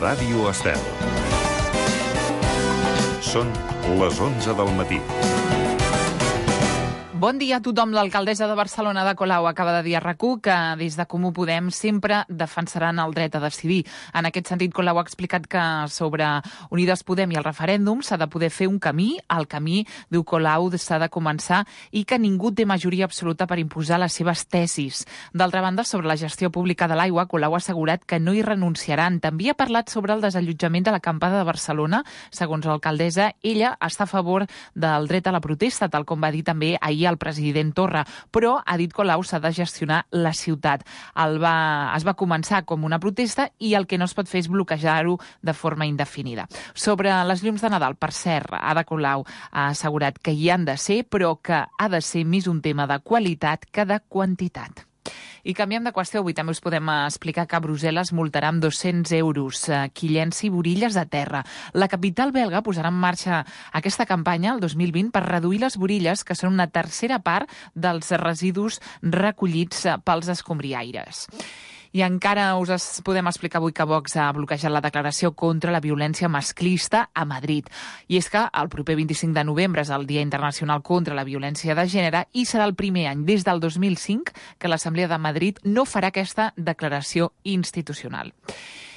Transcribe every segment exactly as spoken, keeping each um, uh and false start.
Ràdio Estel. Són les onze del matí. Bon dia a tothom. L'alcaldessa de Barcelona, Ada Colau, acaba de dir a RAC1 que des de Comú Podem sempre defensaran el dret a decidir. En aquest sentit, Colau ha explicat que sobre Unides Podem i el referèndum s'ha de poder fer un camí. El camí, diu Colau, s'ha de començar i que ningú té majoria absoluta per imposar les seves tesis. D'altra banda, sobre la gestió pública de l'aigua, Colau ha assegurat que no hi renunciaran. També ha parlat sobre el desallotjament de l'acampada de Barcelona. Segons l'alcaldessa, ella està a favor del dret a la protesta, tal com va dir també ahir el president Torra, però, ha dit Colau, s'ha de gestionar la ciutat. El va, es va començar com una protesta i el que no es pot fer és bloquejar-ho de forma indefinida. Sobre les llums de Nadal, per cert, Ada Colau ha assegurat que hi han de ser, però que ha de ser més un tema de qualitat que de quantitat. I canviem de qüestió. Avui també us podem explicar que Brussel·les multarà amb dos-cents euros qui llenci burilles a terra. La capital belga posarà en marxa aquesta campanya el dos mil vint per reduir les burilles, que són una tercera part dels residus recollits pels escombriaires. I encara us es podem explicar avui que Vox ha bloquejat la declaració contra la violència masclista a Madrid. I és que el proper vint-i-cinc de novembre és el Dia Internacional contra la Violència de Gènere i serà el primer any des del dos mil cinc que l'Assemblea de Madrid no farà aquesta declaració institucional.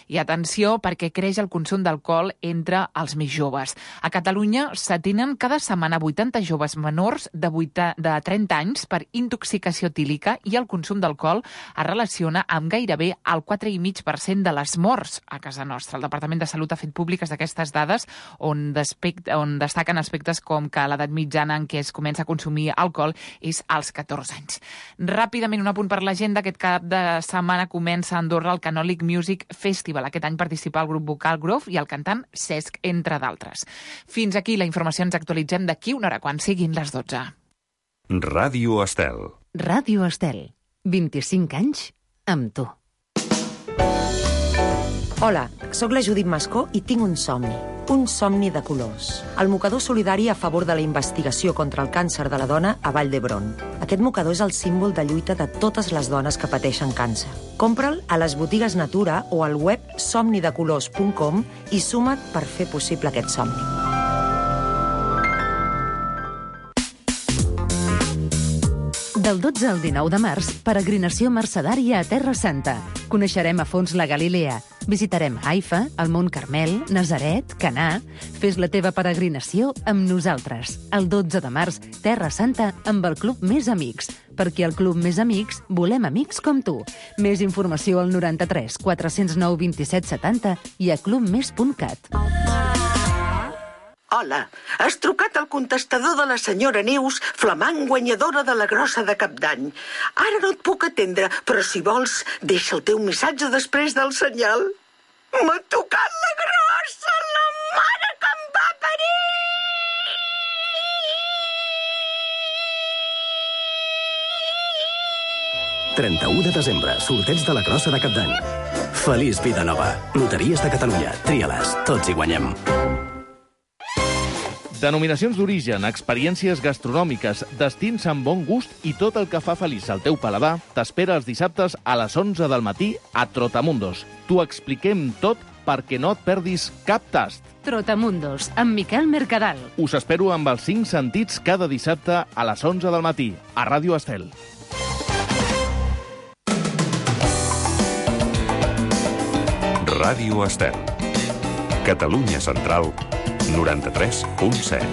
I atenció, perquè creix el consum d'alcohol entre els més joves. A Catalunya s'atenen cada setmana vuitanta joves menors de, vuitanta, de trenta anys per intoxicació etílica i el consum d'alcohol es relaciona amb gairebé el quatre coma cinc per cent de les morts a casa nostra. El Departament de Salut ha fet públiques aquestes dades on, on destaquen aspectes com que l'edat mitjana en què es comença a consumir alcohol és als catorze anys. Ràpidament, un apunt per l'agenda. Aquest cap de setmana comença a Andorra el Canòlic Music Festival. Aquest any participa el grup vocal Grove i el cantant Cesc, entre d'altres. Fins aquí la informació. Ens actualitzem d'aquí una hora quan siguin les dotze. Ràdio Estel. Ràdio Estel. vint-i-cinc anys amb tu. Hola, sóc la Judit Mascó i tinc un somni. Un somni de colors. El mocador solidari a favor de la investigació contra el càncer de la dona a Vall d'Hebron. Aquest mocador és el símbol de lluita de totes les dones que pateixen càncer. Compra'l a les botigues Natura o al web somni de colors punt com i suma't per fer possible aquest somni. Del dotze al dinou de març, peregrinació mercedària a Terra Santa. Coneixerem a fons la Galilea. Visitarem Haifa, el Mont Carmel, Nazaret, Canà. Fes la teva peregrinació amb nosaltres. El dotze de març, Terra Santa amb el Club Més Amics. Perquè al Club Més Amics volem amics com tu. Més informació al noranta-tres quatre-cents nou vint-i-set setanta i a club més punt cat. Hola, has trucat al contestador de la senyora Neus, flamant guanyadora de la grossa de Cap d'Any. Ara no et puc atendre, però si vols, deixa el teu missatge després del senyal. M'ha tocat la grossa, la mare que em va parir! trenta-u de desembre, sorteig de la grossa de Cap d'Any. Feliç vida nova. Loteries de Catalunya. Tria-les. Tots hi guanyem. Denominacions d'origen, experiències gastronòmiques, destins amb bon gust i tot el que fa feliç al teu paladar t'espera els dissabtes a les onze del matí a Trotamundos. T'ho expliquem tot perquè no et perdis cap tast. Trotamundos, amb Miquel Mercadal. Us espero amb els cinc sentits cada dissabte a les onze del matí a Ràdio Estel. Ràdio Estel. Catalunya Central, noranta-tres punt set.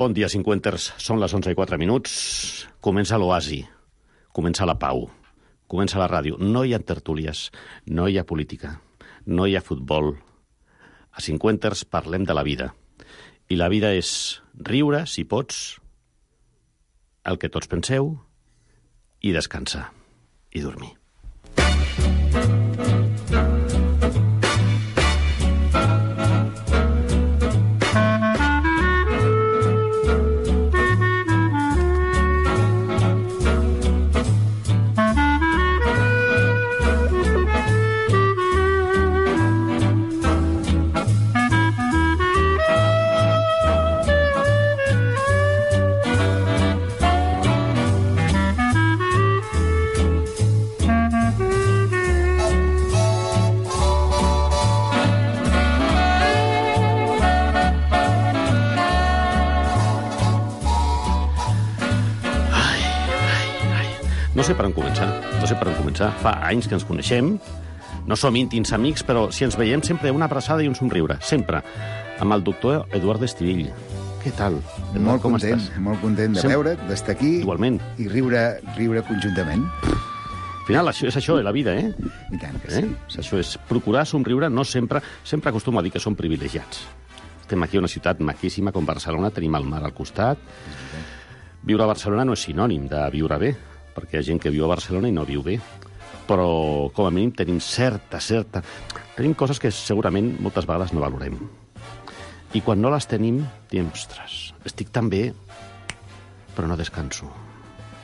Bon dia, cinquanters. Són les onze i quatre minuts. Comença l'oasi. Comença la pau. Comença la ràdio. No hi ha tertúlies. No hi ha política. No hi ha futbol. A cinquanters parlem de la vida. I la vida és riure, si pots, el que tots penseu, i descansar. I dormir. No sé per on començar, no sé per on començar. Fa anys que ens coneixem, no som íntims amics, però si ens veiem sempre una abraçada i un somriure, sempre. Amb el doctor Eduard Estivill. Què tal? Eduard, molt com content, estàs? molt content de Sem- veure't, d'estar aquí. Igualment. I riure, riure conjuntament. Al final, això és això, eh, la vida, eh? I tant que eh? sí. Això és procurar somriure, no sempre... Sempre acostumo a dir que som privilegiats. Estem aquí a una ciutat maquíssima com Barcelona, tenim el mar al costat. Viure a Barcelona no és sinònim de viure bé, perquè hi ha gent que viu a Barcelona i no viu bé. Però, com a mínim, tenim certa, certa... Tenim coses que segurament moltes vegades no valorem. I quan no les tenim, diem, ostres, estic tan bé, però no descanso.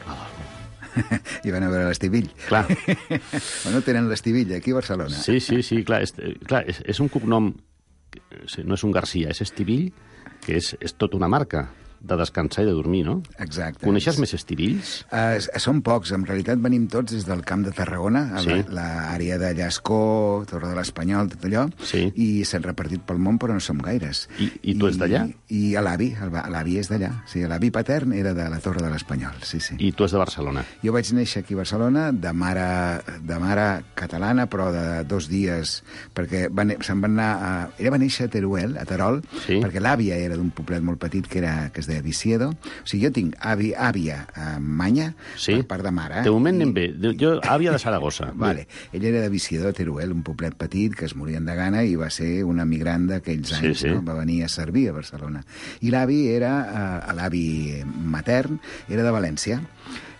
No dormo. I van a veure l'Estivill. Clar. Bueno, tenen l'Estivill aquí a Barcelona. Sí, sí, sí, clar, és, clar, és, és un cognom, no és un Garcia, és Estivill, que és, és tota una marca de descansar i de dormir, no? Exacte. Coneixes més estivills? Uh, són pocs, en realitat venim tots des del Camp de Tarragona, a Sí. l'àrea de Llascó, Torre de l'Espanyol, tot allò, Sí. i s'han repartit pel món, però no som gaires. I- i tu ets d'allà? I a l'avi, el va- l'avi és d'allà. Sí, l'avi patern era de la Torre de l'Espanyol, sí, sí. I tu és de Barcelona. Jo vaig néixer aquí a Barcelona de mare, de mare catalana, però de dos dies, perquè va, ne- se'n van anar a... Ella va néixer a Teruel, a Terol, Sí. perquè l'àvia era d'un poblet molt petit que, era, que es deia Visiedo. O sigui, jo tinc avi, àvia a Manya, Sí. per part de mare. De moment i- anem bé. Jo, àvia de Saragossa. Vale. Ella era de Visiedo, a Teruel, un poblet petit que es morien de gana i va ser una migrant d'aquells Sí, anys, sí. no? Va venir a servir a Barcelona. I l'avi era, eh, l'avi matern, era de València.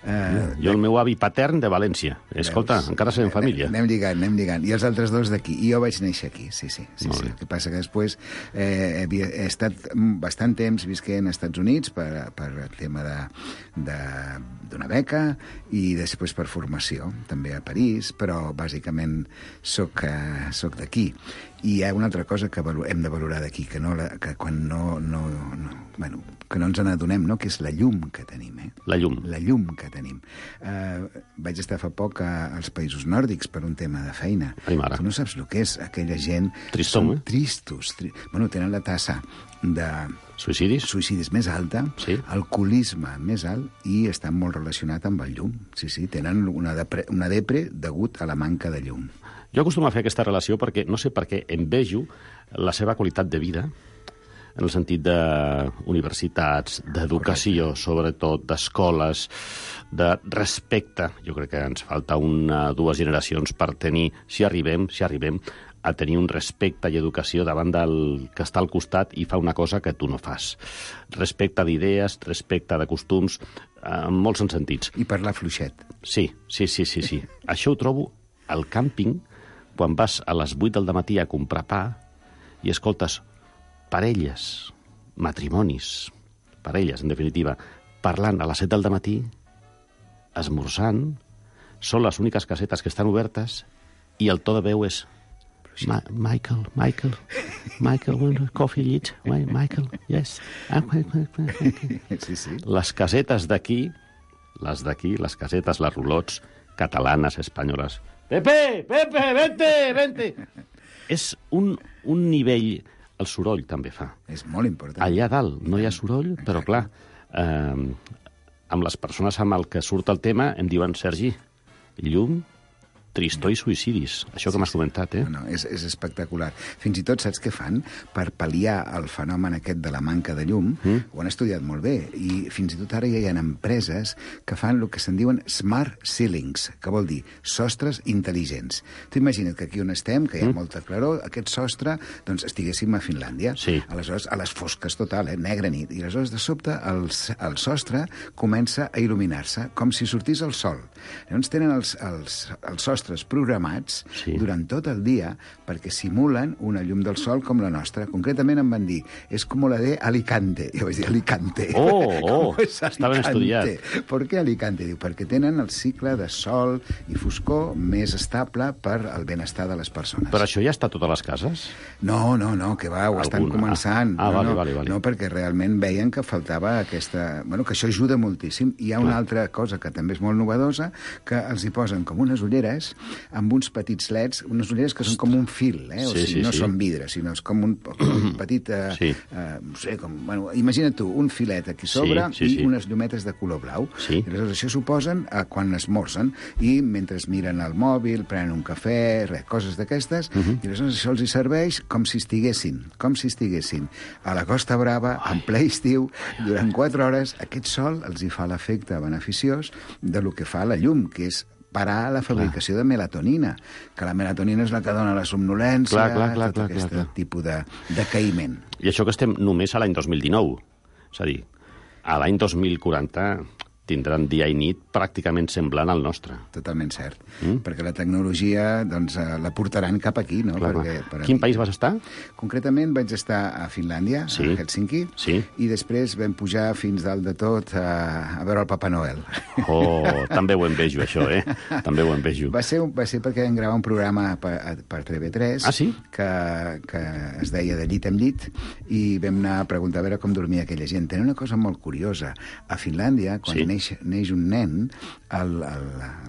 Eh, Jo, el meu avi patern de València. Escolta, Veus? encara serem família. Anem lligant, anem lligant. I els altres dos d'aquí. I jo vaig néixer aquí, sí, sí. sí, Molt sí. bé. El que passa que després eh, havia, he estat bastant temps visquent als Estats Units per, per el tema de, de, d'una beca i després per formació, també a París, però bàsicament soc, eh, soc d'aquí. I hi ha una altra cosa que valo- hem de valorar d'aquí, que, no la, que quan no, no, no, bueno, que no ens n'adonem, no? Que és la llum que tenim, eh? La llum. La llum que tenim. Uh, vaig estar fa poc a, als països nòrdics per un tema de feina. Ai, mare. Tu no saps el que és aquella gent... Tristom, Són eh? tristos. Tri... Bueno, tenen la tassa de Suïcidis? suïcidis més alta, Sí. alcoholisme més alt i estan molt relacionat amb el llum. Sí, sí, tenen una depre, una depre degut a la manca de llum. Jo acostumo a fer aquesta relació perquè, no sé per què, envejo la seva qualitat de vida, en el sentit d'universitats, d'educació, sobretot, d'escoles, de respecte. Jo crec que ens falta una, dues generacions per tenir, si arribem, si arribem, a tenir un respecte i educació davant del que està al costat i fa una cosa que tu no fas. Respecte d'idees, respecte de costums, en molts sentits. I parlar fluixet. Sí, sí, sí, sí, sí. Això ho trobo al càmping, quan vas a les vuit del matí a comprar pa i escoltes parelles, matrimonis, parelles, en definitiva, parlant a les set del matí, esmorzant, són les úniques casetes que estan obertes i el to de veu és Ma Michael, Michael, Michael, want coffee llit? Michael, yes. Sí, sí. Les casetes d'aquí, les d'aquí, les casetes, les roulots, catalanes, espanyoles. Pepe, Pepe, vente, vente. És un, un nivell... El soroll també fa. És molt important. Allà dalt no hi ha soroll, però clar, eh, amb les persones amb el que surt el tema em diuen, Sergi, llum, tristor i suïcidis. Això que m'has comentat, eh? No, no, és, és espectacular. Fins i tot saps què fan? Per pal·liar el fenomen aquest de la manca de llum, mm. ho han estudiat molt bé, i fins i tot ara ja hi ha empreses que fan el que se'n diuen smart ceilings, que vol dir sostres intel·ligents. Tu imagina't que aquí on estem, que hi ha mm. molta claror, aquest sostre, doncs estiguéssim a Finlàndia. Sí. Aleshores, a les fosques total, eh? Negra nit. I aleshores, de sobte, el, el sostre comença a il·luminar-se, com si sortís el sol. Llavors tenen els, els, els sostres programats Sí. durant tot el dia perquè simulen una llum del sol com la nostra. Concretament em van dir, és com la de Alicante. Jo vaig dir, Alicante. Oh, oh, Com és està ben Alicante? estudiat. Per què Alicante? Diu, perquè tenen el cicle de sol i foscor més estable per al benestar de les persones. Però això ja està a totes les cases? No, no, no, que va, ho estan Alguna. començant. Ah, no, vale, no, vale, vale. No, perquè realment veien que faltava aquesta... Bueno, que això ajuda moltíssim. Hi ha una Clar. altra cosa que també és molt novedosa, que els hi posen com unes ulleres amb uns petits leds, unes ulleres que són com un fil, eh? O sí, sigui, sí, no sí. són vidre, sinó és com un, un petit... Eh, sí. eh, no sé, com... Bueno, imagina't tu, un filet aquí sobre sí, sí, sí. i unes llumetes de color blau. Sí. I aleshores això s'ho posen eh, quan esmorzen i mentre miren el mòbil, prenen un cafè, res, coses d'aquestes, uh -huh. i aleshores això els hi serveix com si estiguessin, com si estiguessin a la Costa Brava, en ple estiu, durant quatre hores. Aquest sol els hi fa l'efecte beneficiós de lo que fa la llum, que és parar la fabricació clar. de melatonina, que la melatonina és la que dona la somnolència, clar, clar, clar, tot clar, aquest clar, clar. tipus de decaïment. I això que estem només a l'any dos mil dinou. És a dir, a l'any dos mil quaranta tindran dia i nit pràcticament semblant al nostre. Totalment cert. Mm? Perquè la tecnologia doncs, la portaran cap aquí, no? Clar, Perquè, per Quin aquí. país vas estar? Concretament vaig estar a Finlàndia, sí. a Helsinki, sí. i després vam pujar fins dalt de tot a, a veure el Papa Noel. Oh, també ho envejo, això, eh? També ho envejo. Va ser, va ser perquè vam gravar un programa per, per T V tres ah, sí? que, que es deia De llit en llit, i vam anar a preguntar a veure com dormia aquella gent. Tenen una cosa molt curiosa. A Finlàndia, quan sí. neix, neix un nen,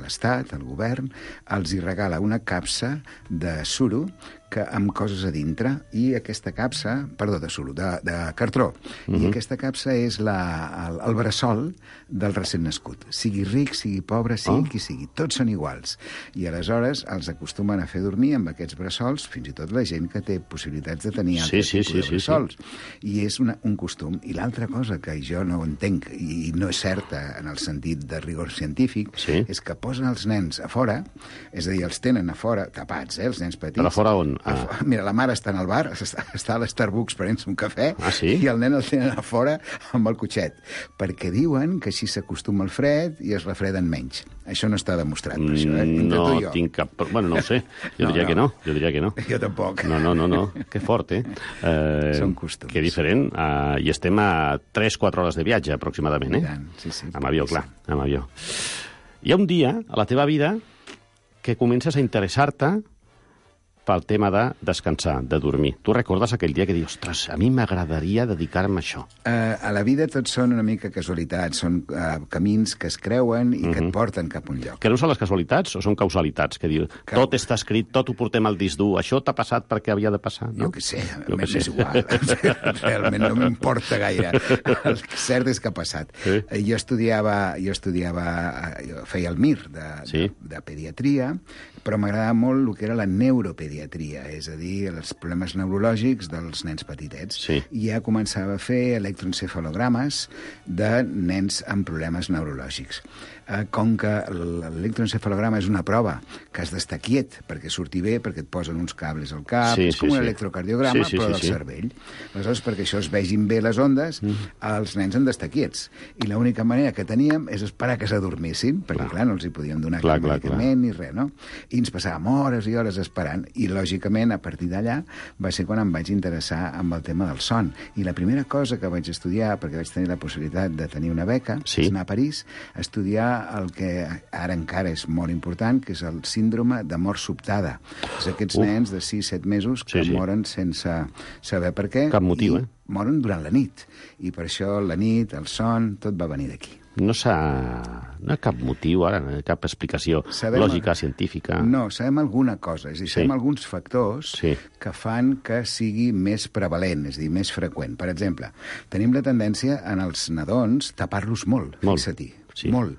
l'Estat, el govern, els hi regala una capsa de suro que, amb coses a dintre, i aquesta capsa, perdó, de suro, de, de cartró, uh -huh. i aquesta capsa és la, el, el bressol del recent nascut. Sigui ric, sigui pobre, sigui oh. qui sigui, tots són iguals. I aleshores els acostumen a fer dormir amb aquests bressols, fins i tot la gent que té possibilitats de tenir sí, altres sí, tipus sí, de bressols. Sí, sí. I és una, un costum. I l'altra cosa que jo no entenc, i no és certa en el sentit de rigor científic, sí. és que posen els nens a fora, és a dir, els tenen a fora, tapats, eh, els nens petits. Però a fora on? Ah. Mira, la mare està en el bar, està, està a l'Starbucks prenent-se un cafè, ah, sí? i el nen el tenen a fora amb el cotxet, perquè diuen que així s'acostuma al fred i es refreden menys. Això no està demostrat, per això, eh? Entre no tu i jo. tinc cap... Bueno, no ho sé. Jo no, diria no. que no. Jo diria que no. Jo tampoc. No, no, no, no. Que fort, eh? eh Són costums. Que diferent. Uh, I estem a tres quatre hores de viatge, aproximadament, eh? Sí, sí. Amb avió, clar, amb avió. Hi ha un dia a la teva vida que comences a interessar-te pel tema de descansar, de dormir. Tu recordes aquell dia que dius, ostres, a mi m'agradaria dedicar-me a això? Uh, a la vida tots són una mica casualitats, són uh, camins que es creuen i uh -huh. que et porten cap a un lloc. Creus en les casualitats o són causalitats? Que diu, que... tot està escrit, tot ho portem al disc dur, això t'ha passat perquè havia de passar, no? Jo què sé, m'és sé. igual. Realment no m'importa gaire. El cert és que ha passat. Sí. Jo estudiava, jo estudiava, jo feia el M I R de, sí. de, de pediatria, però m'agradava molt el que era la neuropediatria, és a dir, els problemes neurològics dels nens petitets. Sí. I ja començava a fer electroencefalogrames de nens amb problemes neurològics. Com que l'electroencefalograma és una prova que has d'estar quiet perquè surti bé, perquè et posen uns cables al cap, sí, és com sí, un sí. electrocardiograma, sí, sí, però sí, del sí. cervell. Aleshores, perquè això es vegin bé les ondes, mm. els nens han d'estar quiets. I l'única manera que teníem és esperar que s'adormissin, perquè, clar. clar, no els hi podíem donar clar, cap clar, medicament clar. ni res, no? I ens passàvem hores i hores esperant, i, lògicament, a partir d'allà va ser quan em vaig interessar amb el tema del son. I la primera cosa que vaig estudiar, perquè vaig tenir la possibilitat de tenir una beca, sí. és anar a París a estudiar el que ara encara és molt important, que és el síndrome de mort sobtada. És aquests Uf. nens de sis set mesos que sí, sí. moren sense saber per què. Cap motiu, i eh? moren durant la nit. I per això la nit, el son, tot va venir d'aquí. No s'ha... No hi ha cap motiu ara, no hi ha cap explicació sabem, lògica, científica. No, sabem alguna cosa. És a dir, sabem sí. alguns factors sí. que fan que sigui més prevalent, és a dir, més freqüent. Per exemple, tenim la tendència en els nadons tapar-los molt, molt. Fixa-t'hi. Sí. Molt.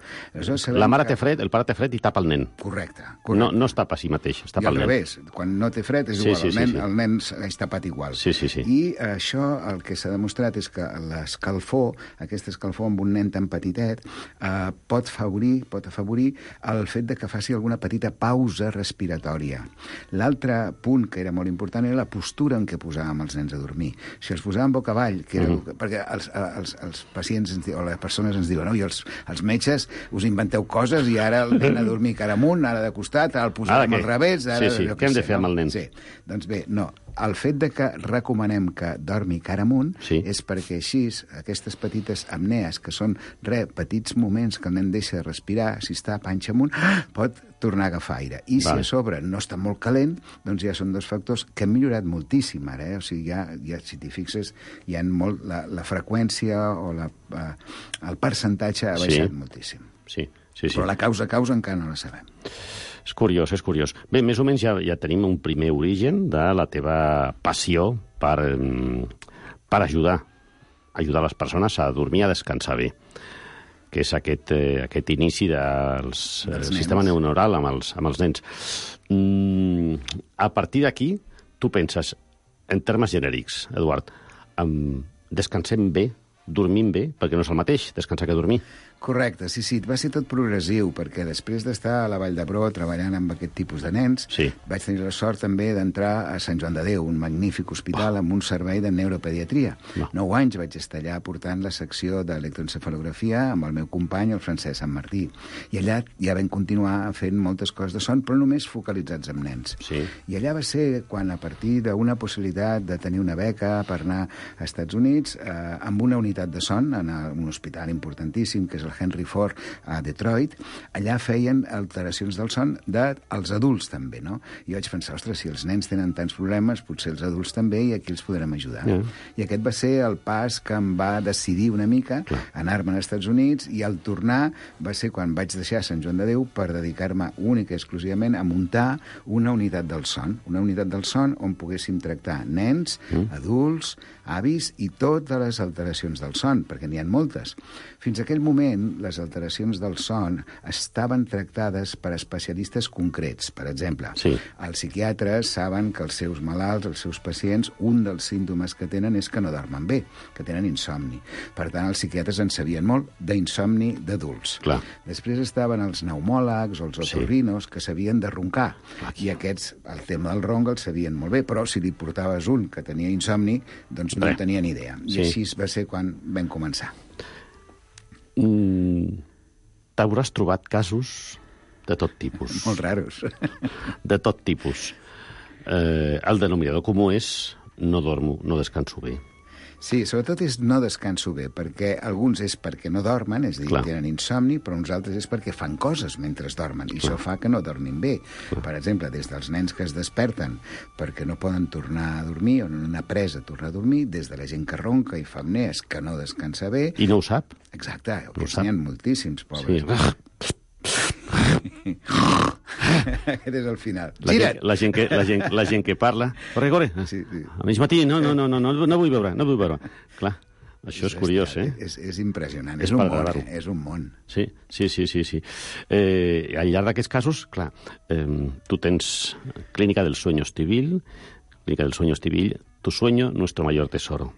La mare que... té fred, el pare té fred i tapa el nen. Correcte. correcte. No, no es tapa a si mateix, es tapa I al el nen. revés, quan no té fred és sí, igual, sí, el, nen, sí, sí. el nen és tapat igual. Sí, sí, sí. I això el que s'ha demostrat és que l'escalfor, aquesta escalfor amb un nen tan petitet, eh, pot afavorir, pot afavorir el fet de que faci alguna petita pausa respiratòria. L'altre punt que era molt important era la postura en què posàvem els nens a dormir. Si els posàvem boca avall, que era, mm. perquè els, els, els pacients ens, o les persones ens diuen, no, i els, els metges us inventeu coses i ara el nen a dormir cara amunt, ara de costat, ara el posàvem al revés... Ara, sí, sí, què hem de fer amb el nen? Sí, doncs bé, no. El fet de que recomanem que dormi cara amunt sí. és perquè així aquestes petites apnees, que són re, petits moments que el nen deixa de respirar, si està panxa amunt, pot tornar a agafar aire. I vale. si a sobre no està molt calent, doncs ja són dos factors que han millorat moltíssim ara. Eh? O sigui, ja, ja si t'hi fixes, hi ha molt, la, la freqüència o la, eh, el percentatge ha baixat sí. moltíssim. Sí, sí, sí. Però la causa-causa encara no la sabem. És curiós, és curiós. Bé, més o menys ja, ja tenim un primer origen de la teva passió per, per ajudar, ajudar les persones a dormir, a descansar bé, que és aquest, eh, aquest inici del sistema neuronal amb els, amb els nens. Mm, a partir d'aquí, tu penses, en termes genèrics, Eduard, um, descansem bé, dormim bé, perquè no és el mateix descansar que dormir. Correcte, sí, sí, va ser tot progressiu, perquè després d'estar a la Vall d'Hebron treballant amb aquest tipus de nens, sí. vaig tenir la sort també d'entrar a Sant Joan de Déu, un magnífic hospital oh. amb un servei de neuropediatria. No. Nou anys vaig estar allà portant la secció d'electroencefalografia amb el meu company, el Francesc Sant Martí. I allà ja vam continuar fent moltes coses de son, però només focalitzats en nens. Sí. I allà va ser quan, a partir d'una possibilitat de tenir una beca per anar a Estats Units, eh, amb una unitat de son, en un hospital importantíssim, que és el Henry Ford a Detroit, allà feien alteracions del son dels adults també, no? I vaig pensar, ostres, si els nens tenen tants problemes, potser els adults també, i aquí els podrem ajudar. Yeah. I aquest va ser el pas que em va decidir una mica anar-me'n als Estats Units, i al tornar va ser quan vaig deixar Sant Joan de Déu per dedicar-me única i exclusivament a muntar una unitat del son, una unitat del son on poguéssim tractar nens, mm. adults, avis i totes les alteracions del son, perquè n'hi ha moltes. Fins a aquell moment, les alteracions del son estaven tractades per especialistes concrets. Per exemple, sí. els psiquiatres saben que els seus malalts, els seus pacients, un dels símptomes que tenen és que no dormen bé, que tenen insomni. Per tant, els psiquiatres en sabien molt d'insomni d'adults. Clar. Després estaven els pneumòlegs o els otorrinos, sí. que sabien de roncar. I aquests, el tema del ronc, el sabien molt bé, però si li portaves un que tenia insomni, doncs no en tenia ni idea. I sí. així va ser quan vam començar. Mm, t'hauràs trobat casos de tot tipus. Molt raros. De tot tipus. Eh, el denominador comú és no dormo, no descanso bé. Sí, sobretot és no descanso bé, perquè alguns és perquè no dormen, és a dir, Clar. tenen insomni, però uns altres és perquè fan coses mentre dormen, i Clar. això fa que no dormin bé. Clar. Per exemple, des dels nens que es desperten perquè no poden tornar a dormir, o no han après a tornar a dormir, des de la gent que ronca i fa apnees, que no descansa bé... I no ho sap. Exacte, no n'hi ha moltíssims, pobres. Sí. Aquest és el final. La gent, la, gent que, la, gent, la gent que parla... Corre, corre. Sí, sí. A mig matí, no, no, no, no, no, no vull veure, no vull veure. Clar, això és, és curiós, eh? És, és impressionant, és, és un món, eh? És un món. Sí, sí, sí, sí. sí. Eh, al llarg d'aquests casos, clar, eh, tu tens Clínica del Sueño Estivil, Clínica del Sueño Estivil, tu sueño, nuestro mayor tesoro.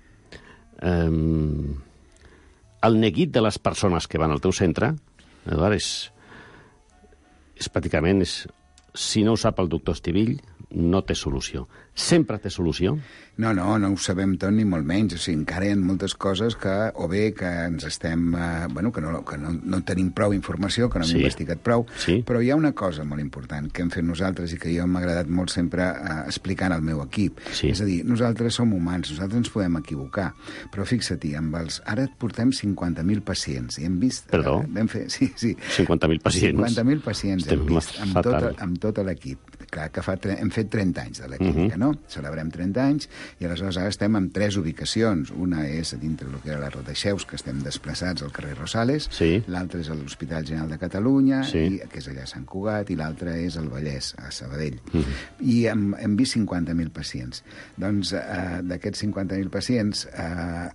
Eh, el neguit de les persones que van al teu centre, Eduard, és... és pràcticament, és, si no ho sap el doctor Estivill, no té solució. Sempre té solució? No, no, no ho sabem tot ni molt menys. O sigui, encara hi ha moltes coses que, o bé que ens estem... Eh, bueno, que, no, que no, no tenim prou informació, que no hem sí. investigat prou, sí. però hi ha una cosa molt important que hem fet nosaltres i que jo m'ha agradat molt sempre eh, explicant al meu equip. Sí. És a dir, nosaltres som humans, nosaltres ens podem equivocar, però fixa-t'hi, amb els... ara portem cinquanta mil pacients i hem vist... Perdó? Eh, vam fer, sí, sí. cinquanta mil pacients? cinquanta mil pacients Estem hem vist amb tot, amb tot l'equip. Clar, que fa, hem fet trenta anys de la clínica, uh -huh. no? Celebrem trenta anys i aleshores ara estem en tres ubicacions. Una és a dintre del que era la Rodeixeus, que estem desplaçats al carrer Rosales, sí. l'altra és a l'Hospital General de Catalunya, sí. i, que és allà a Sant Cugat, i l'altra és al Vallès, a Sabadell. Uh -huh. I hem, hem vist cinquanta mil pacients. Doncs eh, d'aquests cinquanta mil pacients... Eh,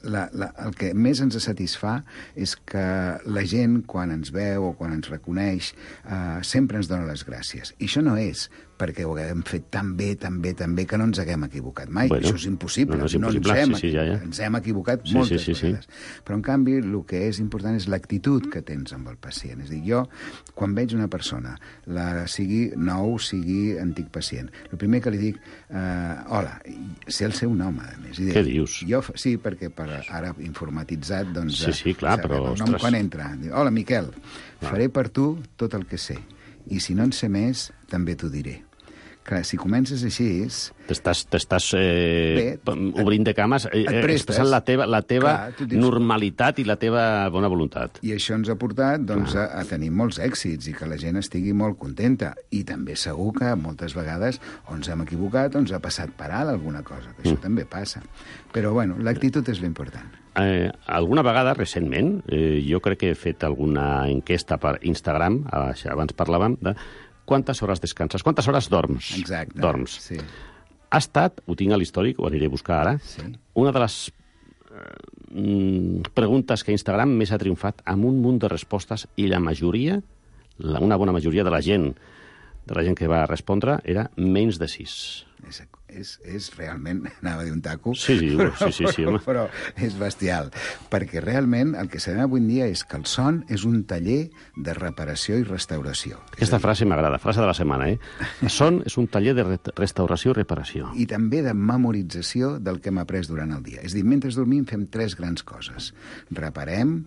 La, la, el que més ens satisfà és que la gent, quan ens veu o quan ens reconeix, eh, sempre ens dona les gràcies. I això no és perquè ho haguem fet tan bé, tan bé, tan bé, que no ens haguem equivocat mai. Bueno, això és impossible. No, no, és impossible. No ens, hem, sí, sí, ja, ja. ens hem equivocat sí, moltes sí, sí, vegades. Sí. Però, en canvi, el que és important és l'actitud que tens amb el pacient. És a dir, jo, quan veig una persona, la sigui nou, sigui antic pacient, el primer que li dic, eh, hola, sé el seu nom, a més. I Què dius? Jo, sí, perquè per ara informatitzat, doncs... Sí, sí, clar, però... El nom quan entra. Diu, hola, Miquel, clar. faré per tu tot el que sé. I si no en sé més, també t'ho diré. Clar, si comences així... T'estàs eh, obrint de cames, eh, expressant la teva, la teva Clar, dius, normalitat i la teva bona voluntat. I això ens ha portat doncs, a, a tenir molts èxits i que la gent estigui molt contenta. I també segur que moltes vegades o ens hem equivocat o ens ha passat per alt alguna cosa, que això mm. també passa. Però, bueno, l'actitud és l'important. Eh, alguna vegada, recentment, eh, jo crec que he fet alguna enquesta per Instagram, abans parlàvem de quantes hores descanses, quantes hores dorms. Exacte. Dorms. Sí. Ha estat, ho tinc a l'històric, ho aniré a buscar ara, Sí. una de les eh, preguntes que Instagram més ha triomfat amb un munt de respostes i la majoria, la, una bona majoria de la gent, de la gent que va respondre, era menys de sis. És, és, és realment, anava a dir un taco, Sí, sí, però, sí, sí, sí, home. però, però és bestial, perquè realment el que sabem avui en dia és que el son és un taller de reparació i restauració. Aquesta frase m'agrada, frase de la setmana, eh? El son és un taller de re restauració i reparació. I també de memorització del que hem après durant el dia. És a dir, mentre dormim fem tres grans coses. Reparem,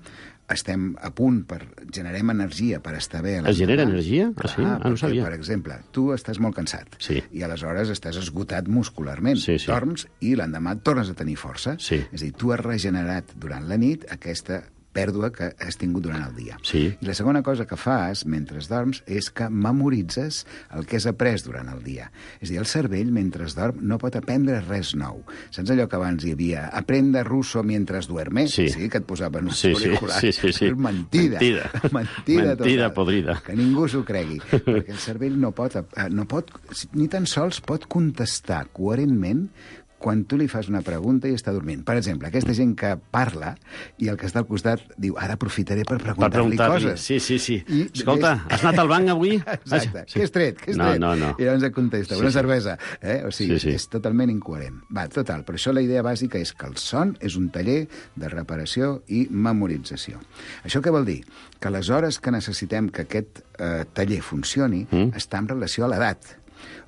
estem a punt per... generem energia per estar bé... Es genera energia? Clar, Ah, sí? Ah, no perquè, sabia. per exemple, tu estàs molt cansat Sí. i aleshores estàs esgotat muscularment. Sí, sí. Dorms i l'endemà tornes a tenir força. Sí. És a dir, tu has regenerat durant la nit aquesta pèrdua que has tingut durant el dia. Sí. I la segona cosa que fas mentre dorms és que memoritzes el que has après durant el dia. És a dir, el cervell, mentre dorm, no pot aprendre res nou. Saps allò que abans hi havia? Aprende russo mientras duerme? Sí. Sí, que et posaven uns Sí, sí, auriculars. sí, sí, sí. És mentida. Mentida. Mentida, Mentida total. podrida. Que ningú s'ho cregui. Perquè el cervell no pot, eh, no pot, ni tan sols pot contestar coherentment quan tu li fas una pregunta i està dormint. Per exemple, aquesta gent que parla i el que està al costat diu, ara aprofitaré per Per preguntar-li preguntar-li. coses. Sí, sí, sí. I Escolta, des- has anat al banc avui? Exacte. Sí. Què has tret? Què has No, tret? no, no. I llavors et contesta, Sí, una sí. cervesa. Eh? O sigui, Sí, sí. és totalment incoherent. Va, total. Per això la idea bàsica és que el son és un taller de reparació i memorització. Això què vol dir? Que les hores que necessitem que aquest eh, taller funcioni Mm. està en relació a l'edat.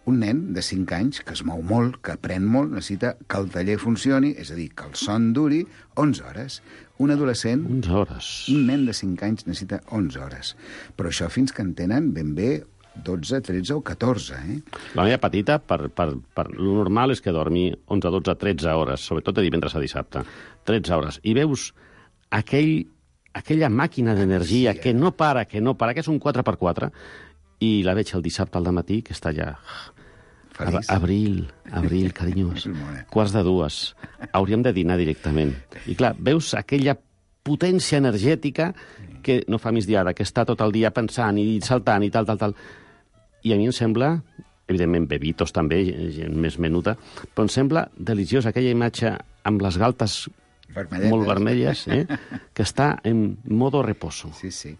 Un nen de cinc anys, que es mou molt, que aprèn molt, necessita que el taller funcioni, és a dir, que el son duri onze hores. Un adolescent, onze hores. un nen de cinc anys necessita onze hores. Però això fins que en tenen ben bé dotze, tretze o catorze, eh? La meva petita, per, per, per, lo normal és que dormi onze, dotze, tretze hores, sobretot de divendres a dissabte. tretze hores. I veus aquell, aquella màquina d'energia Sí, eh? que no para, que no para, que és un quatre per quatre, i la veig el dissabte al dematí, que està allà... Feliç. Abril, abril, carinyos. És mona. Quarts de dues. Hauríem de dinar directament. I clar, veus aquella potència energètica que no fa migdiada, que està tot el dia pensant i saltant i tal, tal, tal. I a mi em sembla, evidentment bebitos també, gent més menuda, però em sembla deliciós aquella imatge amb les galtes Vermelletes. molt vermelles, eh? que està en modo reposo. Sí, sí.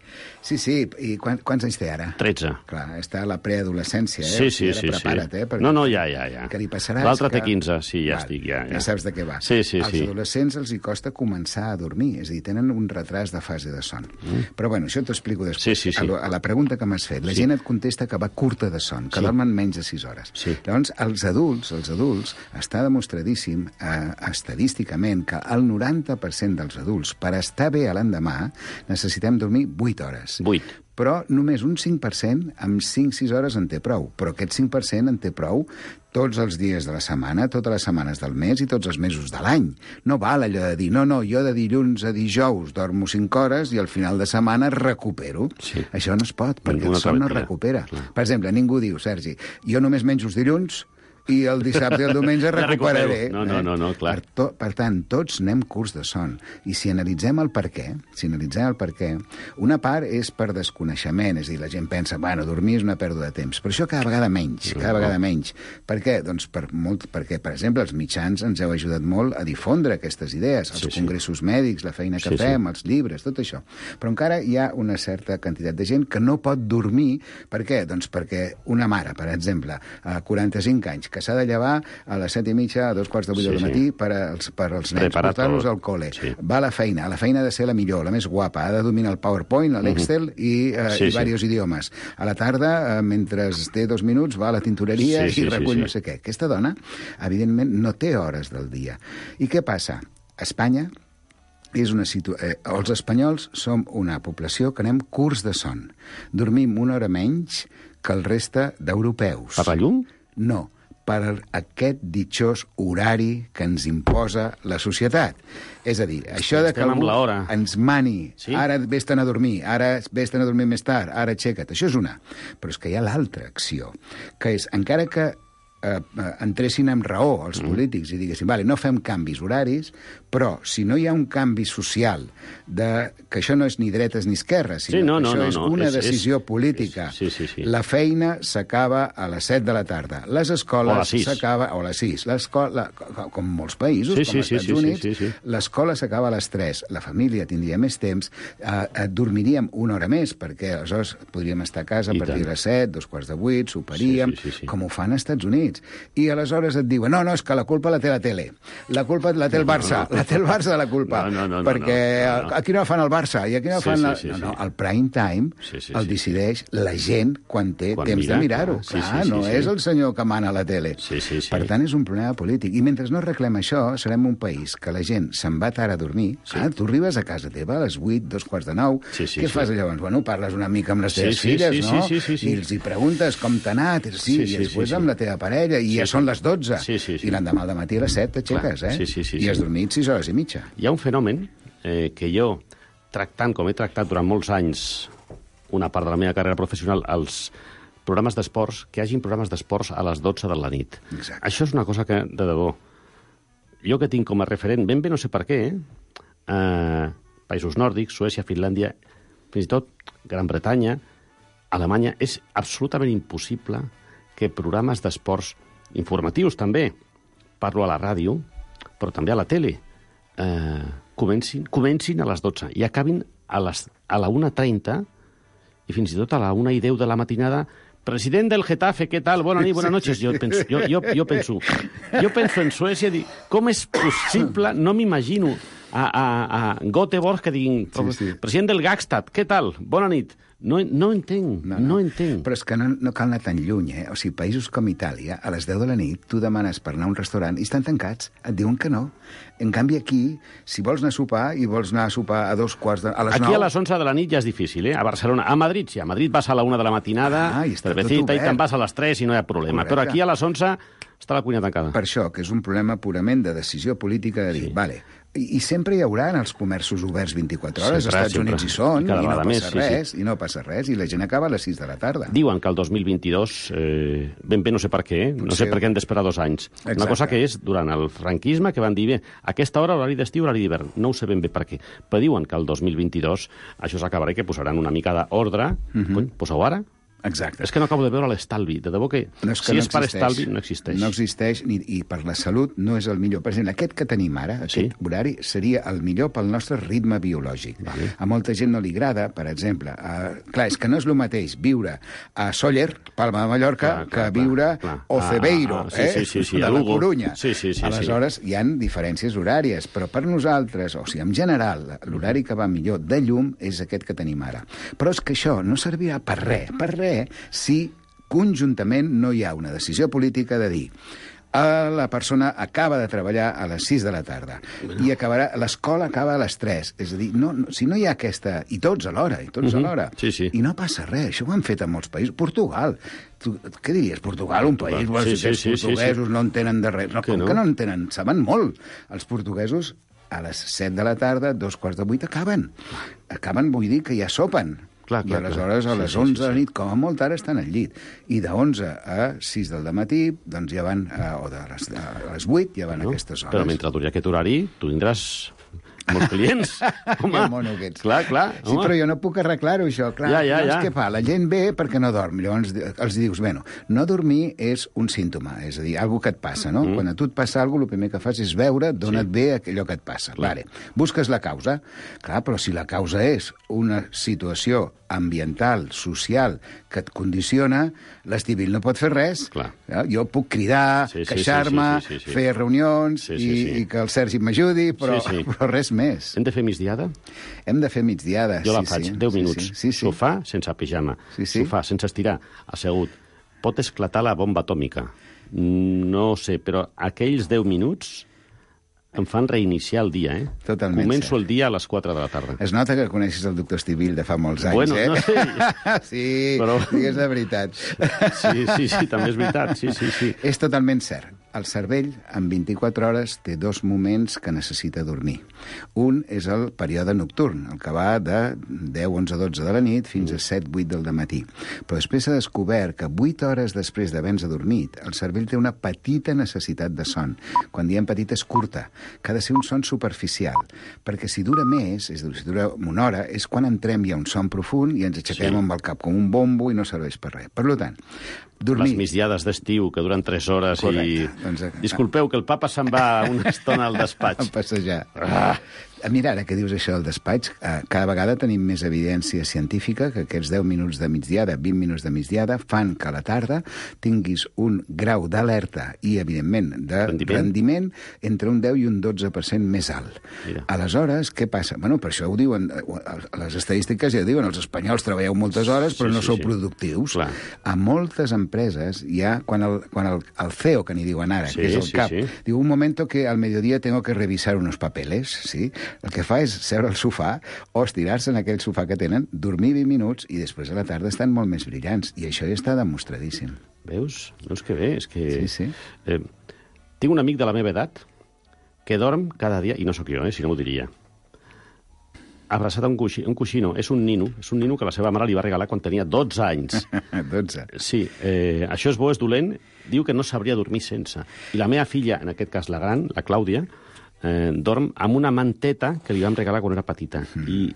Sí, sí. I quan, quants anys té ara? tretze. Clar, està a la preadolescència, eh? Sí, O sí, sigui, ara sí. prepara't, sí. eh? Perquè No, no, ja, ja, ja. el que li passarà L'altre és que... té quinze, sí, ja Val, estic, ja, ja. Ja saps de què va. Sí, sí, Als sí. adolescents els hi costa començar a dormir, és a dir, tenen un retras de fase de son. Mm. Però, bueno, això t'ho explico després. Sí, sí, sí. A, lo- a la pregunta que m'has fet, la Sí. gent et contesta que va curta de son, que Sí. dormen menys de sis hores. Sí. Llavors, els adults, els adults, està demostradíssim eh, estadísticament que el noranta per cent dels adults, per estar bé a l'endemà, necessitem dormir vuit hores. Vuit. Però només un cinc per cent amb cinc sis hores en té prou. Però aquest cinc per cent en té prou tots els dies de la setmana, totes les setmanes del mes i tots els mesos de l'any. No val allò de dir, no, no, jo de dilluns a dijous dormo cinc hores i al final de setmana recupero. Sí. Això no es pot, perquè Ninguna el son no mentida. recupera. Clar. Per exemple, ningú diu, Sergi, jo només menjo els dilluns i el dissabte i el diumenge Ja recuperaré. recupero. No, no, no, no, clar. Per, to, per tant, tots anem curts de son. I si analitzem el per què, si analitzem el per què, una part és per desconeixement, és a dir, la gent pensa, bueno, dormir és una pèrdua de temps, però això cada vegada menys, cada vegada menys. Per què? Doncs per molt, perquè, per exemple, els mitjans ens heu ajudat molt a difondre aquestes idees, els Sí, sí. congressos mèdics, la feina que Sí, sí. fem, els llibres, tot això. Però encara hi ha una certa quantitat de gent que no pot dormir. Per què? Doncs perquè una mare, per exemple, a quaranta-cinc anys, que s'ha de llevar a les set i mitja, a dos quarts de vuit Sí, del sí. matí per als, per als nens, Preparar portar-los tot. al col·le. Sí. Va a la feina, a la feina ha de ser la millor, la més guapa, ha de dominar el PowerPoint, l'Excel i, eh, Sí, i sí. diversos idiomes. A la tarda, eh, mentre té dos minuts, va a la tintoreria Sí, sí, i recull sí, sí. no sé què. Aquesta dona, evidentment, no té hores del dia. I què passa? A Espanya és una situ... eh, els espanyols som una població que anem curts de son. Dormim una hora menys que el reste d'europeus. Per la llum? No, per aquest ditxós horari que ens imposa la societat. És a dir, això de que Estem amb algú l'hora. ens mani, Sí. ara vés-te'n a dormir, ara vés-te'n a dormir més tard, ara aixeca't, això és una. Però és que hi ha l'altra acció, que és, encara que eh, entressin amb raó els mm. polítics i diguessin, vale, no fem canvis horaris, però si no hi ha un canvi social, de, que això no és ni dretes ni esquerres, sinó sí, no, que no, això no, és no. una és, decisió és, política. És, sí, sí, sí. La feina s'acaba a les set de la tarda. Les escoles s'acaba... O a les sis. L'escola, com molts països, sí, com als sí, Estats sí, Units, sí, sí, sí. l'escola s'acaba a les tres. La família tindria més temps, eh, dormiríem una hora més, perquè aleshores podríem estar a casa a I partir tant. de les set, dos quarts de vuit, soparíem, sí, sí, sí, sí. com ho fan als Estats Units. I aleshores et diuen, no, no, és que la culpa la té la tele. La culpa la té el Barça. No, no, no. La té el Barça de la culpa. No, no, no, perquè no, no, no. aquí no fan el Barça i aquí no Sí, fan... sí, La... sí, no, sí. no, el prime time Sí, sí, el sí. decideix la gent quan té Quan temps mira, de mirar-ho. clar. Sí, Clar, sí, sí, no sí. és el senyor que mana a la tele. Sí, sí, sí. Per tant, és un problema polític. I mentre no arreglem això, serem un país que la gent se'n va tard a dormir. Sí. Ah, tu arribes a casa teva a les vuit, dos quarts de nou. Sí, sí, Què sí. fas llavors? Bueno, parles una mica amb les Sí, teves sí, filles, sí, no? sí, sí, sí. I els hi preguntes com t'ha anat, sí, Sí, i sí, després sí, sí. amb la teva parella, i Sí, ja sí. són les dotze. Sí, sí, sí. I l'endemà al matí a les set t'aixeques, Clar. eh? Sí, sí, sí, I sí. has dormit sis hores i mitja. Hi ha un fenomen eh, que jo, tractant com he tractat durant molts anys una part de la meva carrera professional, els programes d'esports, que hi hagin programes d'esports a les dotze de la nit. Exacte. Això és una cosa que, de debò, jo que tinc com a referent, ben bé no sé per què, eh? Eh, països nòrdics, Suècia, Finlàndia, fins i tot Gran Bretanya, Alemanya, és absolutament impossible que programes d'esports informatius també, parlo a la ràdio, però també a la tele, eh, comencin, comencin a les dotze i acabin a, les, a la una trenta i fins i tot a la una i deu de la matinada. President del Getafe, què tal? Bona nit, buenas noches. Jo penso, jo, jo, jo penso, jo penso en Suècia, dic, com és possible? No m'imagino a, a, a Göteborg que diguin, Sí, sí. president del Gagstad, què tal? Bona nit. No, no entenc, no, no. no entenc. Però és que no, no cal anar tan lluny, eh? O sigui, països com Itàlia, a les deu de la nit, tu demanes per anar a un restaurant i estan tancats, et diuen que no. En canvi, aquí, si vols anar a sopar i vols anar a sopar a dos quarts de... A les Aquí nou... a les onze de la nit ja és difícil, eh? A Barcelona, a Madrid, sí. A Madrid vas a la una de la matinada, Ah, i està tot cervecita, i obert. te'n vas a les tres i no hi ha problema. Correcte. Però aquí a les onze està la cuina tancada. Per això, que és un problema purament de decisió política de dir, Sí. vale, i, i sempre hi haurà els comerços oberts vint-i-quatre hores, als Sempre, Estats sempre. Units hi són, I i, cada no vegada passa més, sí, res, i no passa res, i la gent acaba a les sis de la tarda. Diuen que el dos mil vint-i-dos, eh, ben bé no sé per què, eh? no sé Potser- per què han d'esperar dos anys. Exacte. Una cosa que és durant el franquisme, que van dir, bé, a aquesta hora horari d'estiu, horari d'hivern. No ho sé ben bé per què. Però diuen que el dos mil vint-i-dos això s'acabarà i que posaran una mica d'ordre. Mhm. Cony, posa-ho ara. Exacte. És que no acabo de veure l'estalvi. De debò que, No és que si no és per existeix. estalvi, no existeix. No existeix, ni, i per la salut no és el millor. Per exemple, aquest que tenim ara, aquest Sí. horari, seria el millor pel nostre ritme biològic. Vale. A molta gent no li agrada, per exemple. Uh, clar, és que no és el mateix viure a Sóller, Palma de Mallorca, Clar, clar, que viure clar, clar. a Ocebeiro, Ah, ah, sí, eh? sí, sí, sí, de a la Lugo. Corunya. Sí, sí, sí, Aleshores, hi han diferències horàries, però per nosaltres, o sigui, en general, l'horari que va millor de llum és aquest que tenim ara. Però és que això no servirà per res, per res, si conjuntament no hi ha una decisió política de dir a la persona acaba de treballar a les sis de la tarda i acabarà, l'escola acaba a les tres. És a dir, no, no, si no hi ha aquesta... I tots alhora, i tots Mhm. alhora. Sí, sí. I no passa res. Això ho han fet a molts països. Portugal. Tu, què diries? Portugal, un Portugal. país... Bueno, Sí, si sí, aquests sí, sí, portuguesos no entenen de res. No, Que com no? que no entenen? Saben molt. Els portuguesos a les set de la tarda, dos quarts de vuit, acaben. Acaben, vull dir, que ja sopen. Clar, clar, I aleshores clar. a Sí, les sí, onze sí, de la sí. nit, com a molt ara, estan al llit. I de onze a sis del matí, doncs ja van, eh, o de les, a les vuit, ja van No? a aquestes hores. Però mentre duri aquest horari, tu tindràs molts clients. Home, Que mono que ets. clar, clar. Sí, home. però jo no puc arreglar-ho, això. Clar, Ja, ja, llavors, ja. què fa? La gent ve perquè no dorm. Llavors di- els dius, bueno, no dormir és un símptoma, és a dir, alguna que et passa, no? Mm. Quan a tu et passa alguna cosa, el primer que fas és veure d'on Sí. et ve allò que et passa. Vale. Busques la causa. Clar, però si la causa és una situació ambiental, social, que et condiciona, l'estivil no pot fer res. Clar. Ja? Jo puc cridar, Sí, sí, queixar-me, sí, sí, sí, sí. fer reunions Sí, sí, i, sí. i que el Sergi m'ajudi, però, Sí, sí. però res més. Hem de fer migdiada? Hem de fer migdiada. Jo la sí, faig, sí. deu sí, minuts. Sí, sí, sí. Sofà sense pijama. Sí, sí. Sofà sense estirar, assegut. Pot esclatar la bomba atòmica. No ho sé, però aquells deu minuts em fan reiniciar el dia, eh? Totalment Començo cert. el dia a les quatre de la tarda. Es nota que coneixes el doctor Estivil de fa molts anys, Bueno, eh? no sé. Sí, Però- digues la veritat. Sí, sí, sí, també és veritat. Sí, sí, sí. És totalment cert. el cervell, en vint-i-quatre hores, té dos moments que necessita dormir. Un és el període nocturn, el que va de deu, onze, dotze de la nit fins a set, vuit del matí. Però després s'ha descobert que vuit hores després d'haver-nos adormit, el cervell té una petita necessitat de son. Quan diem petita és curta, que ha de ser un son superficial, perquè si dura més, és a dir, si dura una hora, és quan entrem ja un son profund i ens aixequem sí. amb el cap com un bombo i no serveix per res. Per tant, dormir... Les migdiades d'estiu, que duren tres hores. Correcte. I... Doncs... Disculpeu, que el papa se'n va una estona al despatx. A passejar. Ah. Mira, ara que dius això del despatx, eh, cada vegada tenim més evidència científica que aquests deu minuts de migdiada, vint minuts de migdiada, fan que a la tarda tinguis un grau d'alerta i, evidentment, de rendiment, rendiment entre un deu i un dotze per cent més alt. Mira. Aleshores, què passa? Bueno, per això ho diuen, les estadístiques ja diuen, els espanyols treballeu moltes hores però sí, no sí, sou sí. productius. Clar. A moltes empreses ja, quan el, quan el, el C E O, que n'hi diuen ara, sí, que és el sí, cap, sí. diu, un moment que al mediodía tengo que revisar unos papeles, ¿sí? El que fa és seure al sofà o estirar-se en aquell sofà que tenen, dormir vint minuts i després a la tarda estan molt més brillants. I això ja està demostradíssim. Veus? No és que bé, és que... Sí, sí. Eh, tinc un amic de la meva edat que dorm cada dia, i no sóc jo, eh, si no m'ho diria, abraçat a un, coixí, un coixino. És un nino, és un nino que la seva mare li va regalar quan tenia dotze anys. dotze? Sí. Eh, això és bo, és dolent. Diu que no sabria dormir sense. I la meva filla, en aquest cas la gran, la Clàudia, Eh, dorm amb una manteta que li vam regalar quan era petita. Mm. I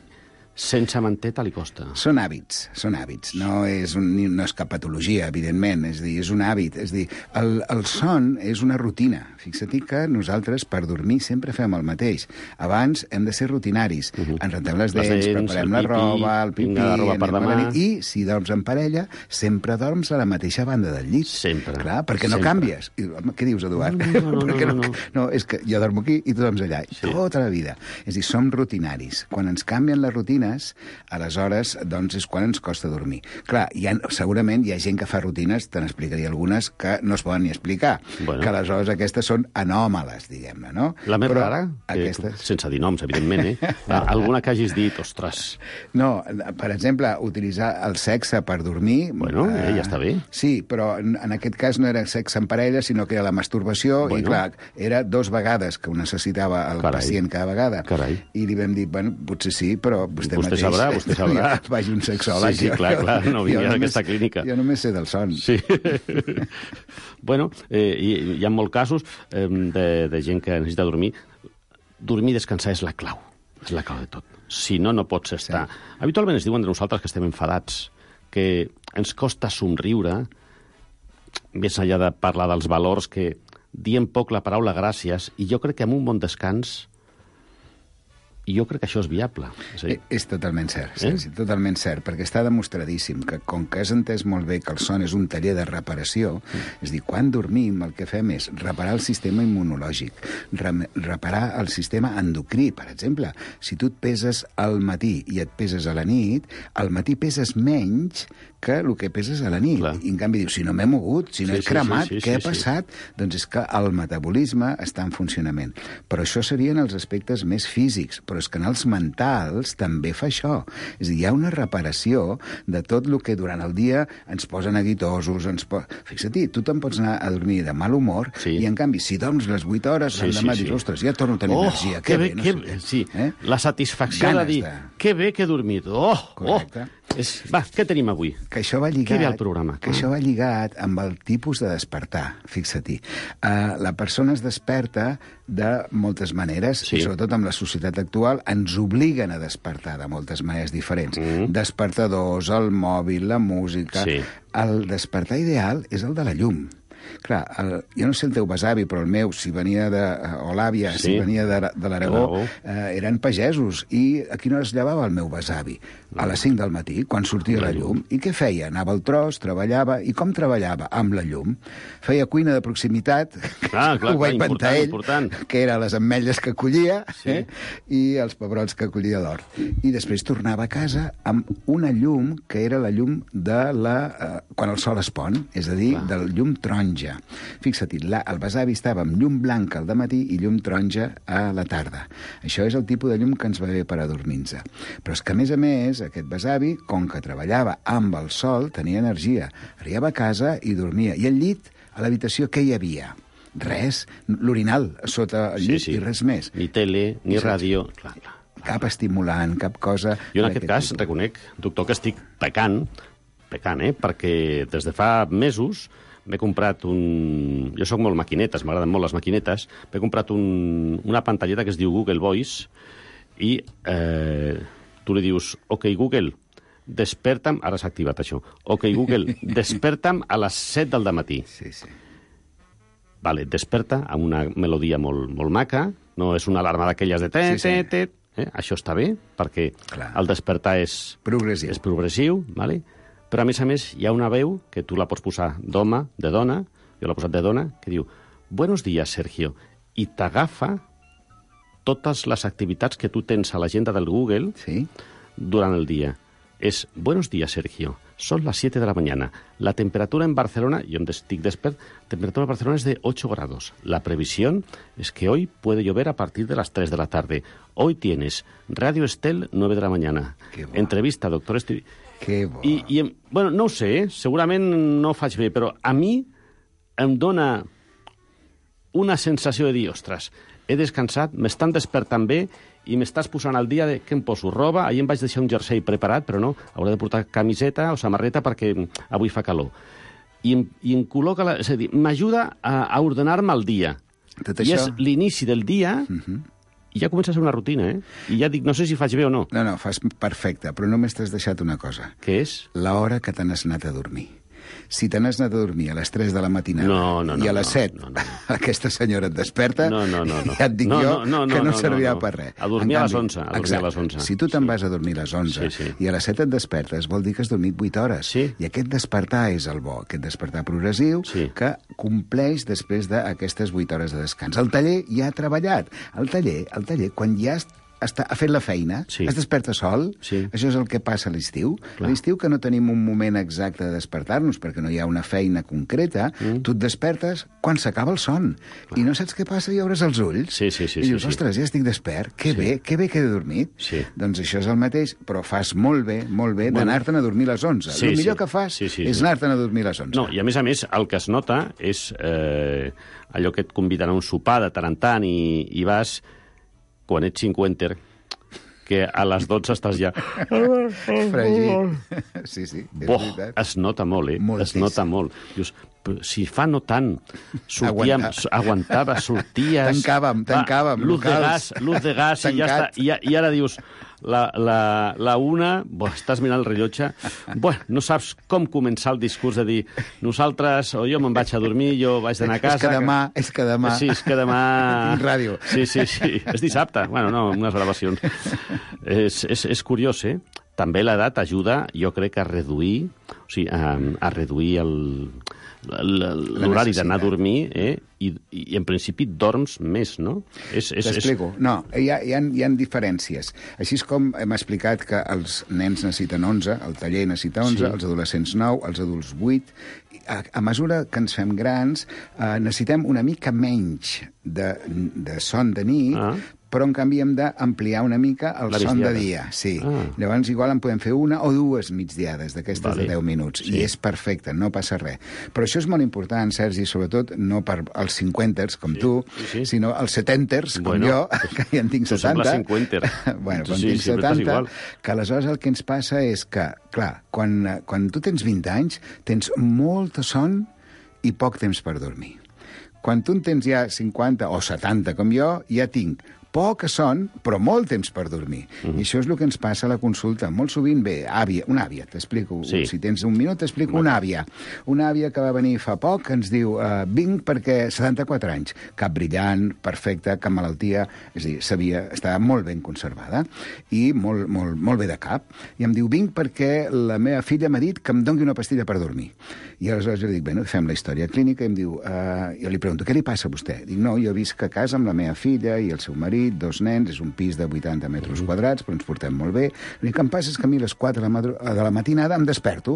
sense manteta li costa. Són hàbits, són hàbits. No és, un, no és cap patologia, evidentment. És dir, és un hàbit. És dir, el, el son és una rutina. Fixa't que nosaltres, per dormir, sempre fem el mateix. Abans hem de ser rutinaris. Uh -huh. Ens rentem les dents, les dents preparem la roba, el pipí, la roba per demà. I si dorms en parella, sempre dorms a la mateixa banda del llit. Sempre. Clar, perquè no sempre. canvies. I, què dius, Eduard? No, no, no, no, no, no. no, és que jo dormo aquí i tu dorms allà. Sí. Tota la vida. És dir, som rutinaris. Quan ens canvien les rutines, aleshores, doncs, és quan ens costa dormir. Clar, hi ha, segurament hi ha gent que fa rutines, te n'explicaria algunes, que no es poden ni explicar, bueno. que aleshores aquestes són anòmales, diguem-ne, no? La més Però rara, aquestes... eh, sense dir noms, evidentment, eh? Alguna que hagis dit, ostres... No, per exemple, utilitzar el sexe per dormir... Bueno, eh, ja està bé. Sí, però en, en aquest cas no era sexe en parella, sinó que era la masturbació, bueno. i clar, era dos vegades que ho necessitava el Carai. pacient cada vegada. Carai. I li vam dir, bueno, potser sí, però vostè, vostè mateix... sabrà, vostè sabrà. Vagi un sexòleg. Sí, sí, clar, clar, no vingui a aquesta clínica. Jo només sé del son. Sí. Bueno, eh, hi, hi ha molts casos eh, de, de gent que necessita dormir. Dormir i descansar és la clau. És la clau de tot. Si no, no pots estar... Sí. Habitualment es diuen de nosaltres que estem enfadats, que ens costa somriure, més enllà de parlar dels valors, que diem poc la paraula gràcies, i jo crec que amb un bon descans i jo crec que això és viable. És, dir... és totalment cert, sí, eh? sí, totalment cert, perquè està demostradíssim que, com que has entès molt bé que el son és un taller de reparació, mm. és a dir, quan dormim el que fem és reparar el sistema immunològic, re reparar el sistema endocrí, per exemple. Si tu et peses al matí i et peses a la nit, al matí peses menys que el que peses a la nit. Clar. I en canvi dius, si no m'he mogut, si no sí, he cremat, sí, sí, sí, què sí, ha passat? Sí. Doncs és que el metabolisme està en funcionament. Però això serien els aspectes més físics, però és que en els mentals també fa això. És a dir, hi ha una reparació de tot el que durant el dia ens posa neguitosos, ens po... Fixa-t'hi, tu te'n pots anar a dormir de mal humor sí. i, en canvi, si dorms les vuit hores, sí, l'endemà sí, dius, sí. ostres, ja torno a tenir oh, energia. Que que bé, bé, no que sé bé. Sí. Eh? La satisfacció Ganes de dir, de... que bé que he dormit. Oh, Correcte. oh. És... Va, què tenim avui? Que això va lligat, Què ve al programa? Que ah. això va lligat amb el tipus de despertar, fixa-t'hi. Uh, la persona es desperta de moltes maneres, sí. i sobretot amb la societat actual ens obliguen a despertar de moltes maneres diferents. Mm. Despertadors, el mòbil, la música... Sí. El despertar ideal és el de la llum. Clar, el, jo no sé el teu besavi, però el meu, si venia de... o l'àvia, sí. si venia de, de l'Aragó, eh, eren pagesos. I a quina hora es llevava el meu besavi? A les cinc del matí, quan sortia la llum. I què feia? Anava al tros, treballava. I com treballava? Amb la llum. Feia cuina de proximitat, ah, clar, ho va clar, inventar ell, important. que era les ametlles que collia sí. eh? i els pebrots que collia d'or. I després tornava a casa amb una llum que era la llum de la... Eh, quan el sol es pon, és a dir, clar. del llum taronja. Fixa-t'hi, el besavi estava amb llum blanca al dematí i llum taronja a la tarda. Això és el tipus de llum que ens va bé per a dormir-nos. Però és que, a més a més, aquest besavi, com que treballava amb el sol, tenia energia. Arribava a casa i dormia. I al llit, a l'habitació, què hi havia? res, l'orinal sota el llit Sí, sí. i res més. Ni tele, ni I saps- ràdio... Clar, clar. Cap estimulant, cap cosa... Jo en aquest cas tipus. reconec, doctor, que estic pecant, pecant, eh? Perquè des de fa mesos m'he comprat un... Jo sóc molt maquinetes, m'agraden molt les maquinetes. M'he comprat un... una pantalleta que es diu Google Voice i eh, tu li dius, ok, Google, desperta'm... Ara s'ha activat això. Ok, Google, desperta'm a les set del dematí. Sí, sí. Vale, desperta amb una melodia molt, molt maca, no és una alarma d'aquelles de... Te, Sí, sí. te, te, eh? Això està bé, perquè Clar. el despertar és... Progressiu. És progressiu, vale? Però, a més a més, hi ha una veu que tu la pots posar d'home, de dona, jo l'he posat de dona, que diu, buenos días, Sergio, i t'agafa totes les activitats que tu tens a l'agenda del Google Sí? durant el dia. Es, buenos días, Sergio, son las siete de la mañana. La temperatura en Barcelona, yo estic despert, temperatura en Barcelona es de ocho grados. La previsión es que hoy puede llover a partir de las tres de la tarde. Hoy tienes Radio Estel, nueve de la mañana. Qué bo. Entrevista, doctor Esti... Que bo. I, i, em- bueno, no ho sé, eh? Segurament no ho faig bé, però a mi em dona una sensació de dir, ostres, he descansat, m'estan despertant bé i m'estàs posant al dia de què em poso roba. Ahir em vaig deixar un jersei preparat, però no, hauré de portar camiseta o samarreta perquè avui fa calor. I em, i em col·loca, la, és a dir, m'ajuda a, a ordenar-me el dia. Tot I això- és l'inici del dia i ja comença a ser una rutina, eh? I ja dic, no sé si faig bé o no. No, no, fas perfecte, però només t'has deixat una cosa. Què és? L'hora que te n'has anat a dormir. Si te n'has anat a dormir a les tres de la matinada No, no, no, i a les no, set no, no, no. aquesta senyora et desperta, No, no, no, no. ja et dic No, jo no, no, no, que no, no, servirà no, no. per res. A dormir En a les canvi, onze, a dormir a exacte, les onze. Si tu te'n Sí. vas a dormir a les onze Sí, sí. i a les set et despertes, vol dir que has dormit vuit hores. Sí. I aquest despertar és el bo, aquest despertar progressiu Sí. que compleix després d'aquestes vuit hores de descans. El taller ja ha treballat. El taller, el taller quan ja està, ha fet la feina, Sí. es desperta sol, Sí. això és el que passa a l'estiu. Clar. A l'estiu que no tenim un moment exacte de despertar-nos perquè no hi ha una feina concreta, mm. tu et despertes quan s'acaba el son. Clar. I no saps què passa i obres els ulls. Sí, sí, sí, I dius, sí, sí. ostres, ja estic despert, que sí. bé, que bé que he dormit. Sí. Doncs això és el mateix, però fas molt bé, molt bé, Bueno. d'anar-te'n a dormir a les onze. Sí, el millor sí. que fas Sí, sí, és sí. anar-te'n a dormir a les onze. No, i a més a més, el que es nota és eh, allò que et conviden a un sopar de tant en tant i, i vas, quan ets cinquenter, que a les dotze estàs ja... Fregit. Sí, sí, és Boh, veritat. es nota molt, eh? Moltíssim. Es nota molt. Dius, però si fa no tant, sortíem, Aguantar. s- aguantava, sorties... Tancàvem, va, tancàvem, luz de locals. gas, luz de gas, i ja està. Tancat. I, I ara dius, la, la, la una, bo, estàs mirant el rellotge, bueno, no saps com començar el discurs de dir nosaltres, o jo me'n vaig a dormir, jo vaig d'anar a casa... És que demà, és que demà... Sí, és que demà... Tinc ràdio. Sí, sí, sí. És dissabte. Bueno, no, unes gravacions. és, és, és curiós, eh? També l'edat ajuda, jo crec, a reduir, o sigui, a, a reduir el, l'horari d'anar a dormir, eh? I, I en principi dorms més, no? És, és, és... T'explico. No, hi ha, hi, ha, hi ha diferències. Així és com hem explicat que els nens necessiten onze, el taller necessita onze, Sí. els adolescents nou, els adults vuit. A, a mesura que ens fem grans, eh, necessitem una mica menys de, de son de nit, Ah. però en canvi hem d'ampliar una mica el La son de migdiada. dia. Sí. Ah. Llavors igual en podem fer una o dues migdiades d'aquestes Vale. de deu minuts. Sí. I és perfecte, no passa res. Però això és molt important, Sergi, sobretot no per als cinquenters, com Sí, tu, sí, sí. sinó als setenters, com Bueno, jo, que ja en tinc tu sembles setanta. cinquenter. bueno, Tu quan sí, tinc sempre estàs setanta, igual. que aleshores el que ens passa és que, clar, quan, quan tu tens vint anys, tens molta son i poc temps per dormir. Quan tu en tens ja cinquanta o setanta, com jo, ja tinc poca son, però molt temps per dormir. Mm. I això és el que ens passa a la consulta. Molt sovint ve àvia, una àvia, t'explico. Sí. Si tens un minut, t'explico una àvia. Una àvia que va venir fa poc, que ens diu, uh, vinc perquè setanta-quatre anys, cap brillant, perfecte, cap malaltia, és a dir, sabia, estava molt ben conservada i molt, molt, molt bé de cap. I em diu, vinc perquè la meva filla m'ha dit que em doni una pastilla per dormir. I aleshores jo li dic, bueno, fem la història clínica, i em diu, uh, jo li pregunto, què li passa a vostè? Dic, no, jo visc a casa amb la meva filla i el seu marit, dos nens, és un pis de vuitanta metres quadrats, però ens portem molt bé. L'únic que em passa és que a mi a les quatre de la, madru- de la matinada em desperto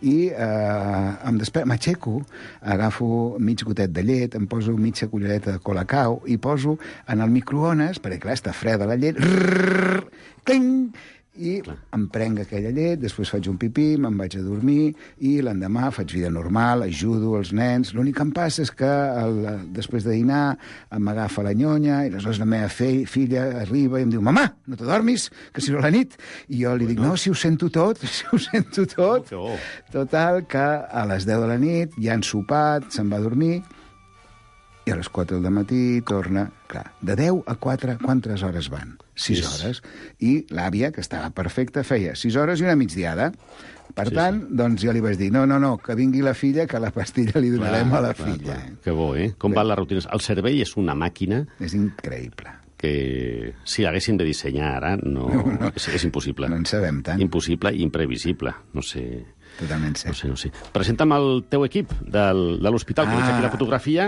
i eh, em desperto, m'aixeco, agafo mig gotet de llet, em poso mitja cullereta de colacao i poso en el microones, perquè clar, està freda la llet, rrrr, cling, I Clar. em prenc aquella llet, després faig un pipí, me'n vaig a dormir i l'endemà faig vida normal, ajudo els nens. L'únic que em passa és que el, després de dinar m'agafa la nyonya i aleshores la meva fe, filla arriba i em diu «Mamà, no te dormis, que si no la nit». I jo li dic «No, si ho sento tot, si ho sento tot». Oh, oh. Total, que a les deu de la nit ja han sopat, se'n va a dormir i a les quatre del matí torna... Clar, de deu a quatre, quantes hores van? sis hores. I l'àvia, que estava perfecta, feia sis hores i una migdiada. Per sí, tant, sí. doncs jo li vaig dir, no, no, no, que vingui la filla, que la pastilla li donarem clar, a la clar, filla. Clar. Que bo, eh? Com sí. van les rutines? El cervell és una màquina... És increïble. Que si l'haguessin de dissenyar ara, no, no, no. És, és impossible. No en sabem tant. Impossible i imprevisible. No sé... Totalment cert. No sé, no sé. Presenta'm el teu equip del, de l'hospital, que ah. veig aquí la fotografia,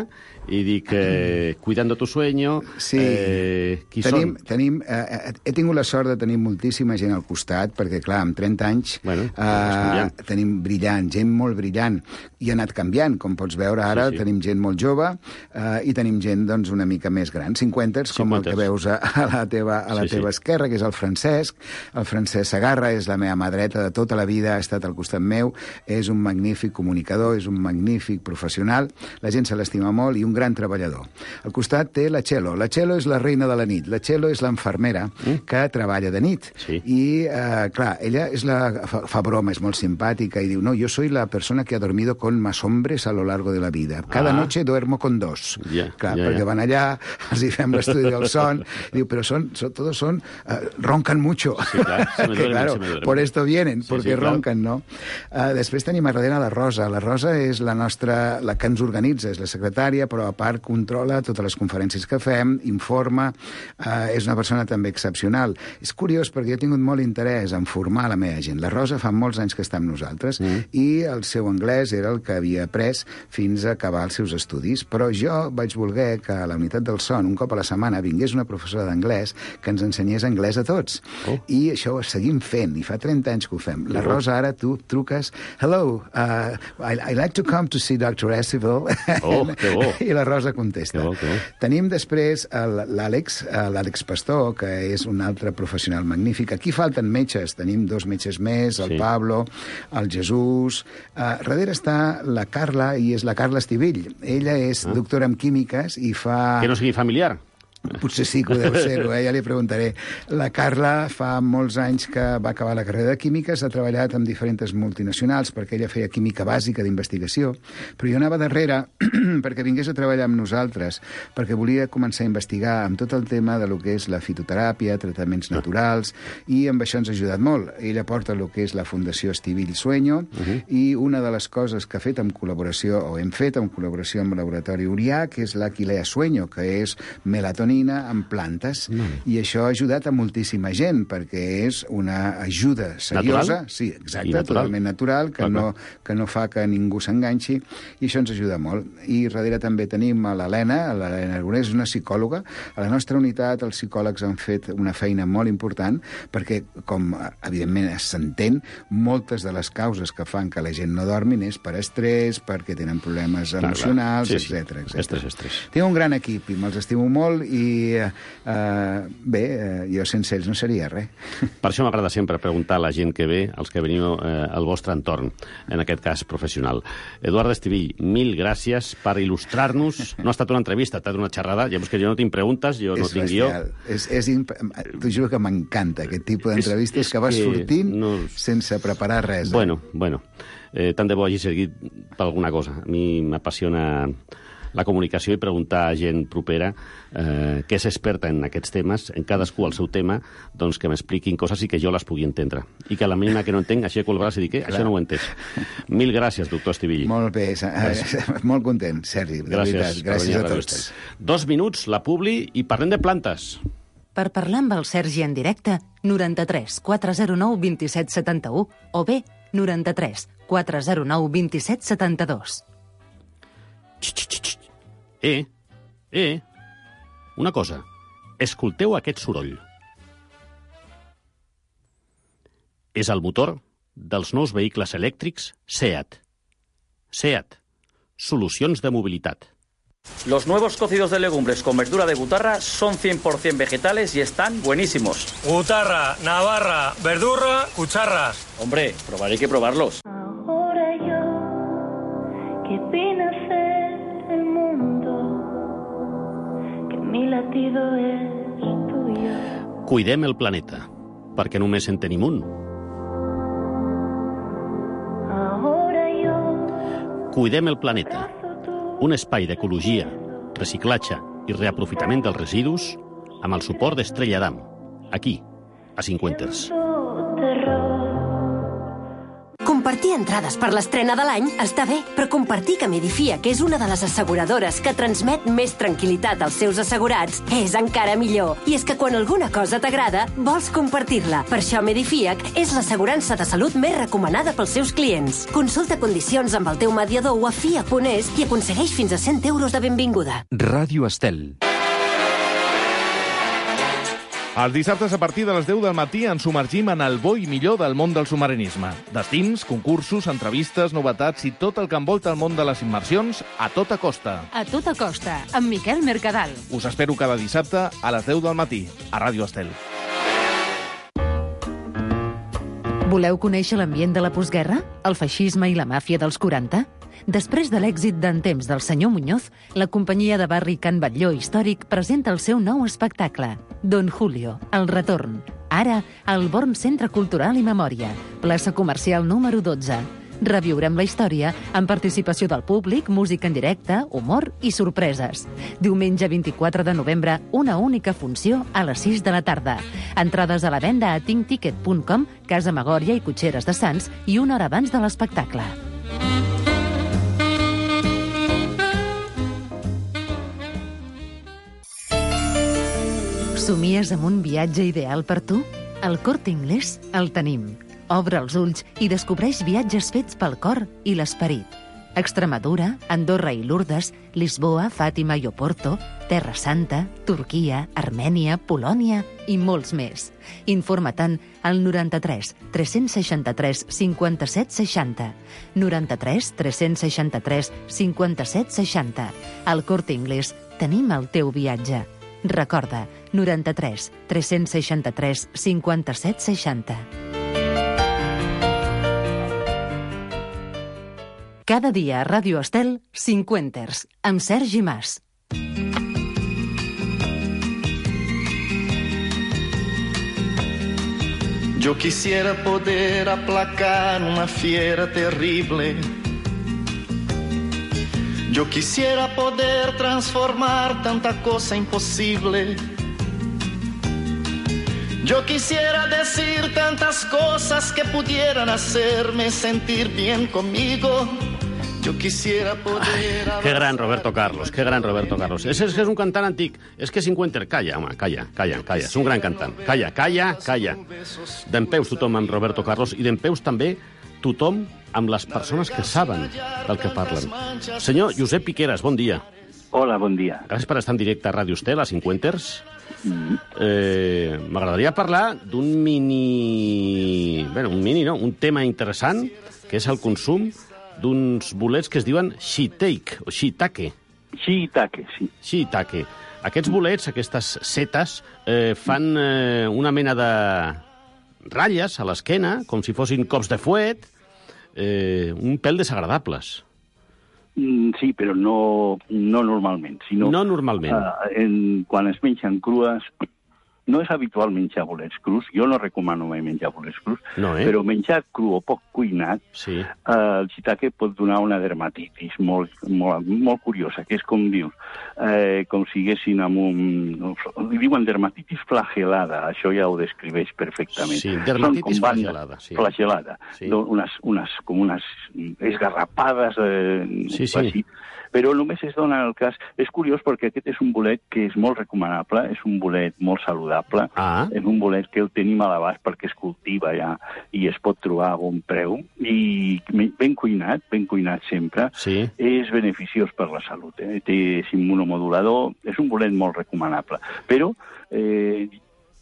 i dic, eh, cuidando tu sueño, sí. eh, qui tenim, són? Tenim, eh, he tingut la sort de tenir moltíssima gent al costat, perquè, clar, amb trenta anys bueno, eh, tenim brillant, gent molt brillant, i ha anat canviant, com pots veure ara, sí, sí. tenim gent molt jove eh, i tenim gent doncs, una mica més gran, cinquanters, com el que veus a, a la teva, a la sí, teva sí. esquerra, que és el Francesc. El Francesc Segarra és la meva mà dreta de tota la vida, ha estat al costat meu, és un magnífic comunicador, és un magnífic professional, la gent se l'estima molt i un gran treballador. Al costat té la Txelo. La Txelo és la reina de la nit. La Txelo és l'enfermera mm. que treballa de nit. Sí. I, eh, clar, ella és la, fa, fa broma, és molt simpàtica i diu, no, yo soy la persona que ha dormido con más hombres a lo largo de la vida. Cada ah. noche duermo con dos. Yeah, clar, yeah, perquè yeah. van allà, els hi fem l'estudi del son, i diu, però son, son, todos son, uh, roncan mucho. Sí, clar, se me duermen, que, claro, se me duermen. Por esto vienen, sí, porque sí, roncan, no? Uh, després tenim a darrere la Rosa. La Rosa és la nostra, la que ens organitza, és la secretària, però a part controla totes les conferències que fem, informa, uh, és una persona també excepcional. És curiós perquè jo he tingut molt interès en formar la meva gent. La Rosa fa molts anys que està amb nosaltres mm. i el seu anglès era el que havia après fins a acabar els seus estudis, però jo vaig voler que a la unitat del son, un cop a la setmana, vingués una professora d'anglès que ens ensenyés anglès a tots. Oh. I això ho seguim fent, i fa trenta anys que ho fem. La Rosa, ara tu truques, hello, uh, I, I like to come to see doctor Esquivel. Oh, que bo. I la Rosa contesta. Que bo, que bo. Tenim després l'Àlex, l'Àlex Pastor, que és un altre professional magnífic. Aquí falten metges, tenim dos metges més, el sí. Pablo, el Jesús. Uh, darrere està la Carla, i és la Carla Estivill. Ella és ah. doctora en químiques i fa... Que no sigui familiar. Potser sí que ho deu ser-ho, eh? Ja li preguntaré. La Carla fa molts anys que va acabar la carrera de químiques, ha treballat amb diferents multinacionals perquè ella feia química bàsica d'investigació, però jo anava darrere perquè vingués a treballar amb nosaltres, perquè volia començar a investigar amb tot el tema de lo que és la fitoteràpia, tractaments naturals, i amb això ens ha ajudat molt. Ella porta el que és la Fundació Estivill Sueño, uh-huh. i una de les coses que ha fet en col·laboració, o hem fet en col·laboració amb el laboratori Urià, que és l'Aquilea Sueño, que és melatonina en plantes, mm. i això ha ajudat a moltíssima gent, perquè és una ajuda seriosa, natural? Sí, exacte, natural. Totalment natural, que, no, que no fa que ningú s'enganxi, i això ens ajuda molt. I darrere també tenim a l'Helena, l'Helena Aragonès, és una psicòloga. A la nostra unitat els psicòlegs han fet una feina molt important, perquè, com evidentment s'entén, moltes de les causes que fan que la gent no dormin és per estrès, perquè tenen problemes clar, emocionals, clar. Sí, etcètera, sí. etcètera. Estrès, estrès. Tinc un gran equip i me'ls estimo molt, i i uh, bé, uh, jo sense ells no seria res. Per això m'agrada sempre preguntar a la gent que ve, als que veniu uh, al vostre entorn, en aquest cas professional. Eduard Estivill, mil gràcies per il·lustrar-nos. No ha estat una entrevista, ha estat una xerrada. Ja veus que jo no tinc preguntes, jo no és tinc guió. És, és imp... T'ho juro que m'encanta aquest tipus d'entrevistes que vas que sortint no... sense preparar res. Eh? Bueno, bueno. Eh, tant de bo hagi seguit per alguna cosa. A mi m'apassiona la comunicació i preguntar a gent propera eh, que és experta en aquests temes, en cadascú el seu tema, doncs que m'expliquin coses i que jo les pugui entendre. I que a la mínima que no entenc, aixeco el braç i dic, eh, això no ho he entès. Mil gràcies, doctor Estivill. Molt bé, gràcies. Molt content, Sergi. Gràcies, veritat, gràcies a tots. Dos minuts, la publi, i parlem de plantes. Per parlar amb el Sergi en directe, noranta-tres quatre zero nou vint set setanta-u o bé noranta-tres quatre zero nou vint set setanta-dos. Eh, eh, una cosa, escolteu aquest soroll. És el motor dels nous vehicles elèctrics SEAT. SEAT, solucions de mobilitat. Los nuevos cocidos de legumbres con verdura de Gutarra son cien por ciento vegetales y están buenísimos. Gutarra, Navarra, verdura, cucharras. Hombre, probaré que probarlos. Ahora yo, que vine a ser el mundo, que mi latido es tuyo. Cuidem el planeta, perquè només en tenim un. Ahora yo, Cuidem el planeta, un espai d'ecologia, reciclatge i reaprofitament dels residus amb el suport d'Estrella d'Am, aquí, a Cinquenters. Compartir entrades per l'estrena de l'any està bé, però compartir que Medifiac, que és una de les asseguradores que transmet més tranquil·litat als seus assegurats, és encara millor. I és que quan alguna cosa t'agrada, vols compartir-la. Per això Medifiac és l'assegurança de salut més recomanada pels seus clients. Consulta condicions amb el teu mediador o a F I A punt es i aconsegueix fins a cent euros de benvinguda. Ràdio Estel. Els dissabtes a partir de les deu del matí ens submergim en el bo i millor del món del submarinisme. Destins, concursos, entrevistes, novetats i tot el que envolta el món de les immersions a tota costa. A tota costa, amb Miquel Mercadal. Us espero cada dissabte a les deu del matí, a Ràdio Estel. Voleu conèixer l'ambient de la postguerra? El feixisme i la màfia dels quaranta? Després de l'èxit d'en temps del senyor Muñoz, la companyia de barri Can Batlló Històric presenta el seu nou espectacle, Don Julio, el retorn. Ara, al Born Centre Cultural i Memòria, plaça comercial número dotze. Reviurem la història amb participació del públic, música en directe, humor i sorpreses. Diumenge vint-i-quatre de novembre, una única funció a les sis de la tarda. Entrades a la venda a tinc ticket punt com, Casa Magòria i Cotxeres de Sants i una hora abans de l'espectacle. Somies amb un viatge ideal per tu? Al Corte Inglés el tenim. Obre els ulls i descobreix viatges fets pel cor i l'esperit. Extremadura, Andorra i Lourdes, Lisboa, Fàtima i Oporto, Terra Santa, Turquia, Armènia, Polònia i molts més. Informa-te'n al noranta-tres tres-cents seixanta-tres cinquanta-set seixanta. noranta-tres tres-cents seixanta-tres cinquanta-set seixanta. Al Corte Inglés tenim el teu viatge. Recorda, noranta-tres tres-cents seixanta-tres cinquanta-set seixanta. Cada dia a Ràdio Estel, Cinquenters, amb Sergi Mas. Yo quisiera poder aplacar una fiera terrible. Yo quisiera poder transformar tanta cosa imposible. Yo quisiera decir tantas cosas que pudieran hacerme sentir bien conmigo. Yo quisiera poder... Ai, que gran Roberto Carlos, que gran Roberto Carlos. És, és, és un cantant antic. És que Cinquenter... Calla, home, calla, calla, calla. És un gran cantant. Calla, calla, calla. Dempeus tothom amb Roberto Carlos i dempeus també tothom amb les persones que saben del que parlen. Senyor Josep Piqueras, bon dia. Hola, bon dia. Gràcies per estar en directe a Ràdio Estel, a Cinquenters. Mm. Eh, M'agradaria parlar d'un mini... Bé, un mini, no? Un tema interessant, que és el consum d'uns bolets que es diuen shiitake, o shiitake. Shiitake, sí. Shiitake. Aquests bolets, aquestes setes, eh, fan eh, una mena de ratlles a l'esquena, com si fossin cops de fuet, eh, un pèl desagradables. Mm, sí, però no, no normalment. Sinó, no normalment. Uh, en, quan es mengen crues, no és habitual menjar bolets crus. Jo no recomano mai menjar bolets crus, no, eh? Però menjar cru o poc cuinat, sí. uh, el shiitake pot donar una dermatitis molt, molt, molt curiosa, que és com dius, eh, com si haguessin amb un... Li diuen dermatitis flagelada, això ja ho descriveix perfectament. Sí, dermatitis flagelada. Sí. Flagelada, sí. Unes, unes, com unes esgarrapades, eh, sí, sí. Així. Però només es dona el cas... És curiós perquè aquest és un bolet que és molt recomanable, és un bolet molt saludable, ah. és un bolet que el tenim a l'abast perquè es cultiva ja i es pot trobar a bon preu, i ben cuinat, ben cuinat sempre, sí. És beneficiós per la salut. Eh? Té, és immunomodulador, és un bolet molt recomanable. Però eh,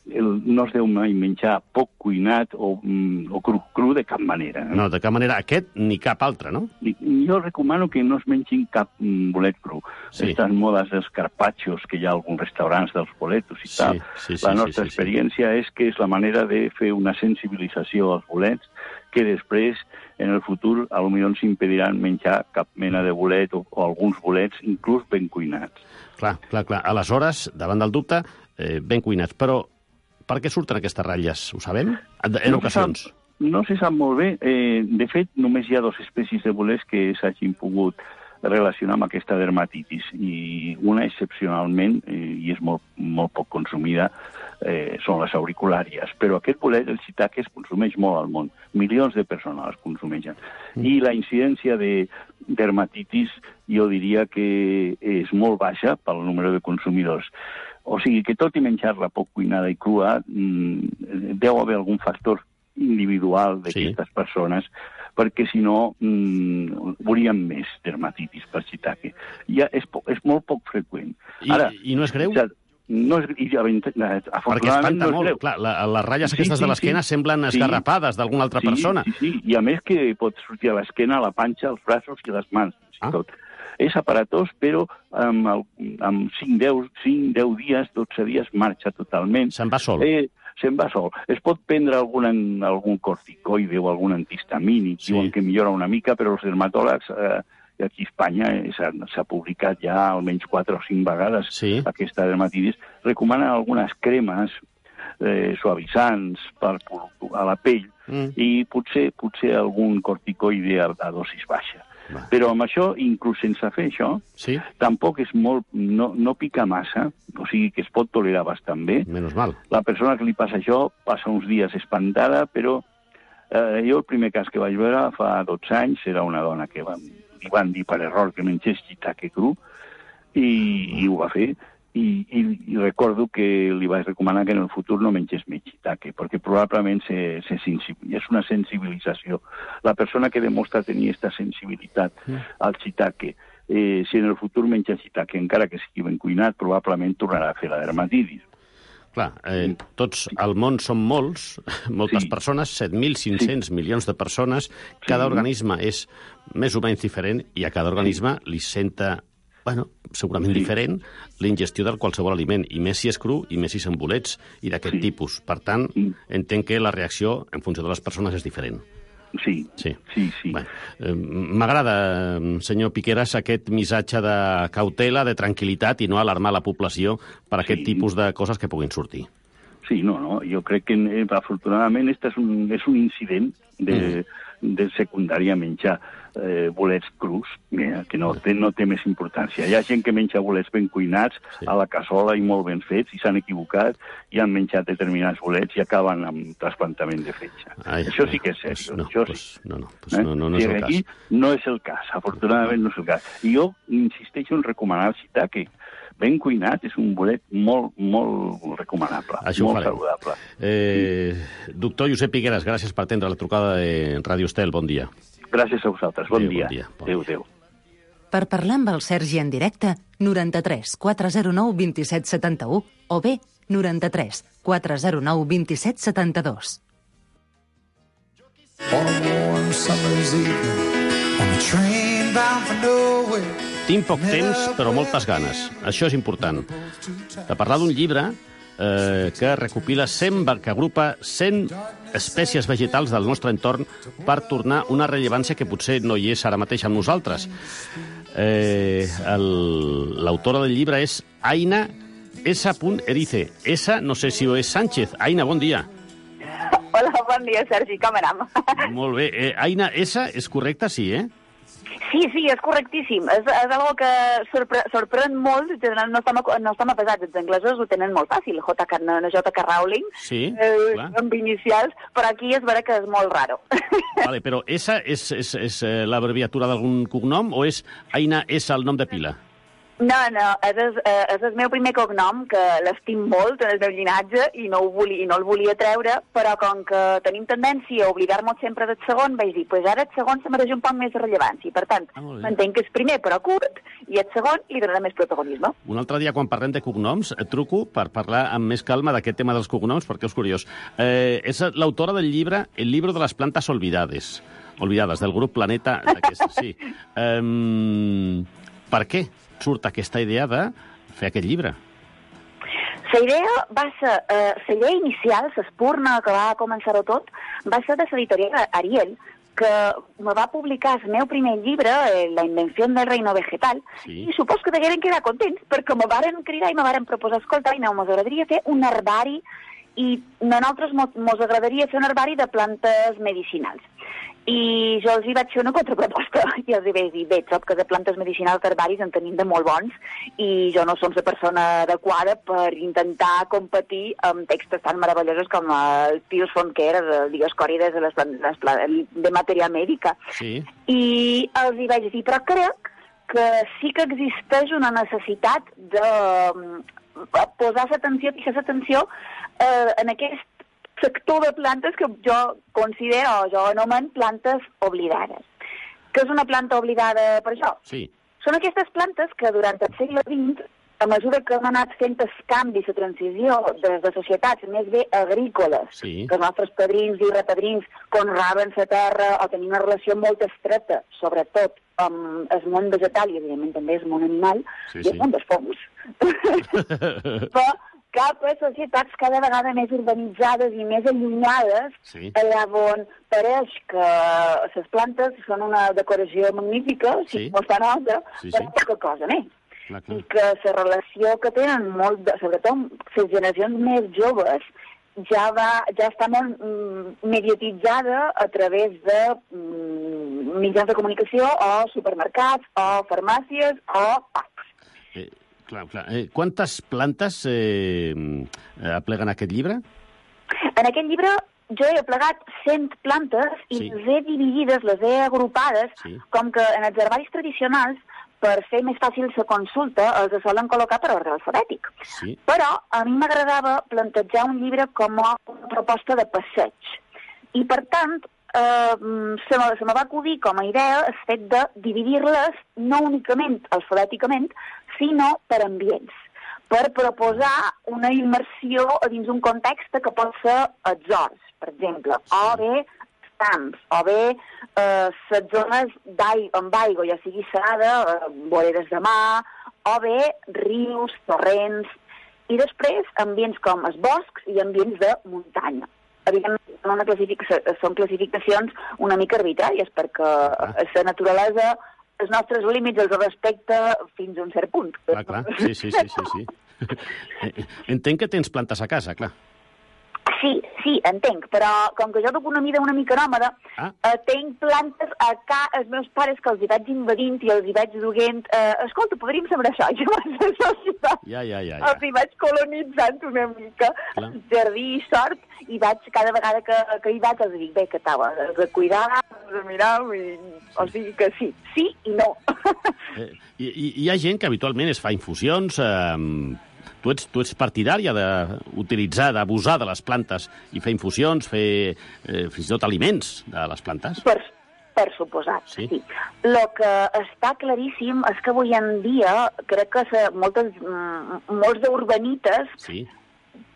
el, no es deu mai menjar poc cuinat o, mm, o cru, cru de cap manera. No, de cap manera. Aquest ni cap altre, no? I, jo recomano que no es mengin cap mm, bolet cru. Sí. Estas modes dels carpaccios que hi ha a alguns restaurants dels boletos i sí, tal. Sí, sí, la nostra sí, sí, experiència sí. és que és la manera de fer una sensibilització als bolets que després, en el futur, a lo millor ens impediran menjar cap mena de bolet o, o alguns bolets, inclús ben cuinats. Clar, clar, clar. Aleshores, davant del dubte, eh, ben cuinats. Però per què surten aquestes ratlles? Ho sabem? En, en no ocasions. Se sap, no se sap molt bé. Eh, de fet, només hi ha dues espècies de bolets que s'hagin pogut relacionar amb aquesta dermatitis. I una, excepcionalment, eh, i és molt, molt poc consumida, eh, són les auriculàries. Però aquest bolet, el shiitake, es consumeix molt al món. Milions de persones els consumeixen. Mm. I la incidència de dermatitis, jo diria que és molt baixa pel número de consumidors. O sigui que tot i menjar-la poc cuinada i crua, mmm, deu haver algun factor individual d'aquestes sí. persones, perquè si no mmm, veuríem més dermatitis per shiitake. Ja és, po és molt poc freqüent. I, Ara, I no és greu? Ja, no és, i, perquè espanta no molt. Clar, la, les ratlles aquestes sí, sí, de l'esquena sí. semblen esgarrapades sí. d'alguna altra sí, persona. Sí, sí, i a més que pot sortir a l'esquena, a la panxa, als braços i les mans, fins i ah. tot. És aparatós, però amb, el, amb cinc deu dies, dotze dies, marxa totalment. Se'n va sol. Eh, se'n va sol. Es pot prendre algun, algun corticoide o algun antihistamínic, sí. diuen que millora una mica, però els dermatòlegs, eh, aquí a Espanya eh, s'ha publicat ja almenys quatre o cinc vegades sí. aquesta dermatitis, recomanen algunes cremes eh, suavitzants per, a la pell mm. i potser, potser algun corticoide a, a dosis baixa. Va. Però amb això, inclús sense fer això, sí? tampoc és molt, no, no pica massa, o sigui que es pot tolerar bastant bé. Menys mal. La persona que li passa això passa uns dies espantada, però eh, jo el primer cas que vaig veure fa dotze anys era una dona que van, li van dir per error que mengés shiitake cru i, i ho va fer. I, i, i recordo que li vaig recomanar que en el futur no mengés més shiitake, perquè probablement se, se és una sensibilització. La persona que demostra tenir aquesta sensibilitat mm. al shiitake, eh, si en el futur menja shiitake, encara que sigui ben cuinat, probablement tornarà a fer la dermatitis. Clar, eh, tots al món són molts, moltes sí. persones, set mil cinc-cents sí. milions de persones, cada sí. organisme és més o menys diferent i a cada organisme sí. li senta... Bueno, segurament sí. diferent, l'ingestió del qualsevol aliment, i més si és cru i més si són bolets i d'aquest sí. tipus. Per tant, sí. entenc que la reacció, en funció de les persones, és diferent. Sí, sí, sí. sí. Bueno, eh, m'agrada, senyor Piqueras, aquest missatge de cautela, de tranquil·litat i no alarmar la població per aquest sí. tipus de coses que puguin sortir. Sí, no, no, jo crec que, eh, afortunadament, este és un, és un incident de, mm. de secundària menjar eh, bolets crus, mira, que no té, no té més importància. Hi ha gent que menja bolets ben cuinats sí. a la cassola i molt ben fets i s'han equivocat i han menjat determinats bolets i acaben amb trasplantament de fetge. Ai, això sí que és cert. Pues no, això pues, sí. no, no, pues eh? no, no, no és el aquí cas. No és el cas, afortunadament no és el cas. I jo insisteixo en recomanar el shiitake. Ben cuinat, és un bolet molt, molt recomanable, això molt saludable. Eh, doctor Josep Piqueras, gràcies per atendre la trucada de Ràdio Estel. Bon dia. Gràcies a vosaltres. Bon adéu, dia. Bon dia. Bon adéu, dia. adéu. Per parlar amb el Sergi en directe, noranta-tres quatre zero nou vint set setanta-u o bé noranta-tres quatre zero nou vint set setanta-dos. On a warm summer's evening, on a train bound for nowhere. Tinc poc temps, però moltes ganes. Això és important. De parlar d'un llibre eh, que recopila cent, que agrupa cent espècies vegetals del nostre entorn per tornar una rellevància que potser no hi és ara mateix amb nosaltres. Eh, L'autora del llibre és Aina S. Erice. S, no sé si ho és Sánchez. Aina, bon dia. Hola, bon dia, Sergi. Com anem? Molt bé. Eh, Aina S, és correcte? Sí, eh? Sí, sí, és correctíssim. És, és algo que sorpre sorprèn molt. No estem, no estem pesats. Els anglesos ho tenen molt fàcil. J K, J K Rowling, sí, eh, amb inicials, però aquí és vera que és molt raro. Vale, però esa és, és, és l'abreviatura d'algun cognom o és Aina S el nom de pila? No, no, és el, és el meu primer cognom, que l'estim molt en el meu llinatge i no, ho volia, i no el volia treure, però com que tenim tendència a oblidar-nos sempre del segon, vaig dir, pues ara el segon se mereix un poc més de rellevància. Per tant, ah, m'entenc que és primer però curt i el segon li donarà més protagonisme. Un altre dia, quan parlem de cognoms, et truco per parlar amb més calma d'aquest tema dels cognoms, perquè és curiós. Eh, és l'autora del llibre El libro de las plantas olvidades, olvidades, del grup Planeta. Sí. Um, per què surt aquesta idea de fer aquest llibre? La idea va ser, eh, la idea inicial, l'espurna que va començar-ho tot, va ser de l'editorial Ariel, que me va publicar el meu primer llibre, eh, La invenció del reino vegetal, sí. I supos que degueren quedar contents, perquè me varen cridar i me varen proposar, escolta, i no, mos agradaria fer un herbari, i a nosaltres mos agradaria fer un herbari de plantes medicinals. I jo els hi vaig fer una contraproposta i els hi vaig dir, bé, trob que de plantes medicinals d'herbaris en tenim de molt bons i jo no som la persona adequada per intentar competir amb textos tan meravellosos com el Pius Fonquera de Digues Còrides de, les, les, de matèria mèdica. Sí. I els hi vaig dir, però crec que sí que existeix una necessitat de posar l'atenció, fixar l'atenció eh, en aquest sector de plantes que jo considero, jo anomen plantes oblidades. Què és una planta oblidada per això? Sí. Són aquestes plantes que durant el segle vint, a mesura que hem anat fent el canvi, la transició de, de societats més bé agrícoles, sí. Que els nostres padrins i repadrins conraven la terra o tenien una relació molt estreta, sobretot amb el món vegetal i, evidentment, també el món animal, sí, i el sí. món dels fongs. Però cap a societats cada vegada més urbanitzades i més allunyades, sí. Allà on pareix que les plantes són una decoració magnífica, sí. Si no està nota, sí, però sí. Poca cosa més. Clar, clar. I que la relació que tenen, molt de, sobretot les generacions més joves, ja, va, ja està molt mm, mediatitzada a través de mm, mitjans de comunicació o supermercats o farmàcies o packs. Eh, clar, clar. Eh, quantes plantes eh, apleguen aquest llibre? En aquest llibre jo he aplegat cent plantes i sí. Les he dividides, les he agrupades, sí. Com que en els herbaris tradicionals per fer més fàcil la consulta, els solen col·locar per ordre alfabètic. Sí. Però a mi m'agradava plantejar un llibre com a una proposta de passeig. I, per tant, eh, se, me, se me va acudir com a idea el fet de dividir-les no únicament alfabèticament, sinó per ambients, per proposar una immersió a dins un context que pot ser els horts, per exemple, o bé camps, o bé eh, les zones amb aigua, ja sigui serada, eh, voreres de mar, o bé rius, torrents, i després ambients com els boscs i ambients de muntanya. Evidentment, són, una classific són classificacions una mica arbitràries, perquè ah. La naturalesa, els nostres límits els respecta fins a un cert punt. Clar, clar, sí, sí, sí, sí, sí. Entenc que tens plantes a casa, clar. Sí, sí, entenc, però com que jo duc una mida una mica nòmada, ah. eh, tenc plantes a ca els meus pares que els hi vaig invadint i els hi vaig duent, eh, escolta, podríem sembrar això, jo vaig això, ja, ja, ja, ja. Els hi vaig colonitzant una mica, clar. Jardí i sort, i vaig, cada vegada que, que hi vaig, els dic, bé, que tal, has de cuidar, has de mirar, i, o sigui que sí, sí i no. eh, hi, hi ha gent que habitualment es fa infusions, eh, Tu ets, tu ets partidària d'utilitzar, d'abusar de les plantes i fer infusions, fer eh, fins i tot aliments de les plantes? Per, per suposat, sí. sí. El que està claríssim és que avui en dia crec que se, moltes, molts d'urbanites sí.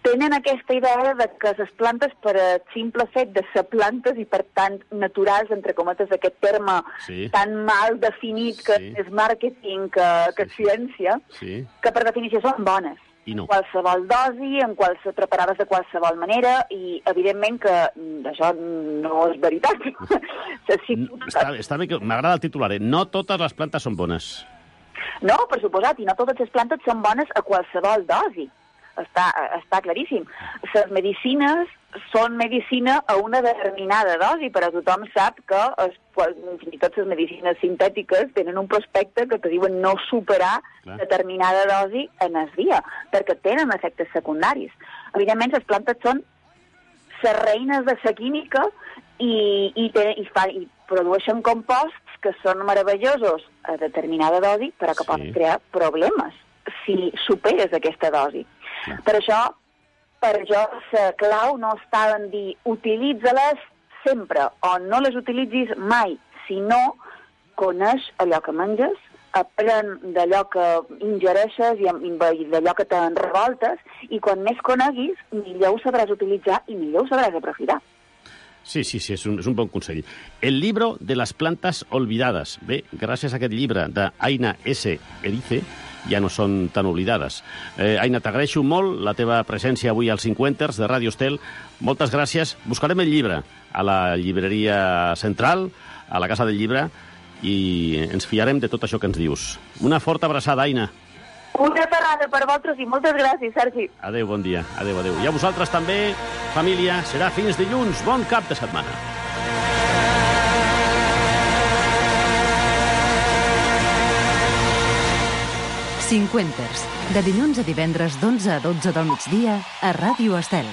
Tenen aquesta idea de que les plantes, per a simple fet de ser plantes i per tant naturals, entre cometes, aquest terme sí. Tan mal definit que sí. És màrqueting que, que sí, ciència, sí. Que per definició són bones. I no. Qualsevol dosi, en qualsevol, preparades de qualsevol manera, i evidentment que això no és veritat. Sí, està, està bé que m'agrada el titular, eh? No totes les plantes són bones. No, per suposat, i no totes les plantes són bones a qualsevol dosi. Està, està claríssim. Les medicines són medicina a una determinada dosi, però tothom sap que es, fins i tot les medicines sintètiques tenen un prospecte que te diuen no superar clar. Determinada dosi en el dia, perquè tenen efectes secundaris. Evidentment, les plantes són les reines de la química i, i, te, i, fa, i produeixen composts que són meravellosos a determinada dosi, però que sí. poden crear problemes si superes aquesta dosi. Ja. Per això, per això la clau no està en dir utilitza-les sempre o no les utilitzis mai, sinó coneix allò que menges, aprèn d'allò que ingereixes i d'allò que te'n revoltes, i quan més coneguis, millor ho sabràs utilitzar i millor ho sabràs aprofitar. Sí, sí, sí, és un, és un bon consell. El libro de las plantas olvidadas. Bé, gràcies a aquest llibre d'Aina S. Erice, ja no són tan oblidades. Eh, Aina, t'agraeixo molt la teva presència avui als Cinquenters de Ràdio Estel. Moltes gràcies. Buscarem el llibre a la llibreria central, a la Casa del Llibre, i ens fiarem de tot això que ens dius. Una forta abraçada, Aina. Una parada per vosaltres i moltes gràcies, Sergi. Adéu, bon dia. Adéu, adéu. I a vosaltres també, família, serà fins dilluns. Bon cap de setmana. Cinquenters, de dilluns a divendres d'onze a dotze del migdia a Ràdio Estel.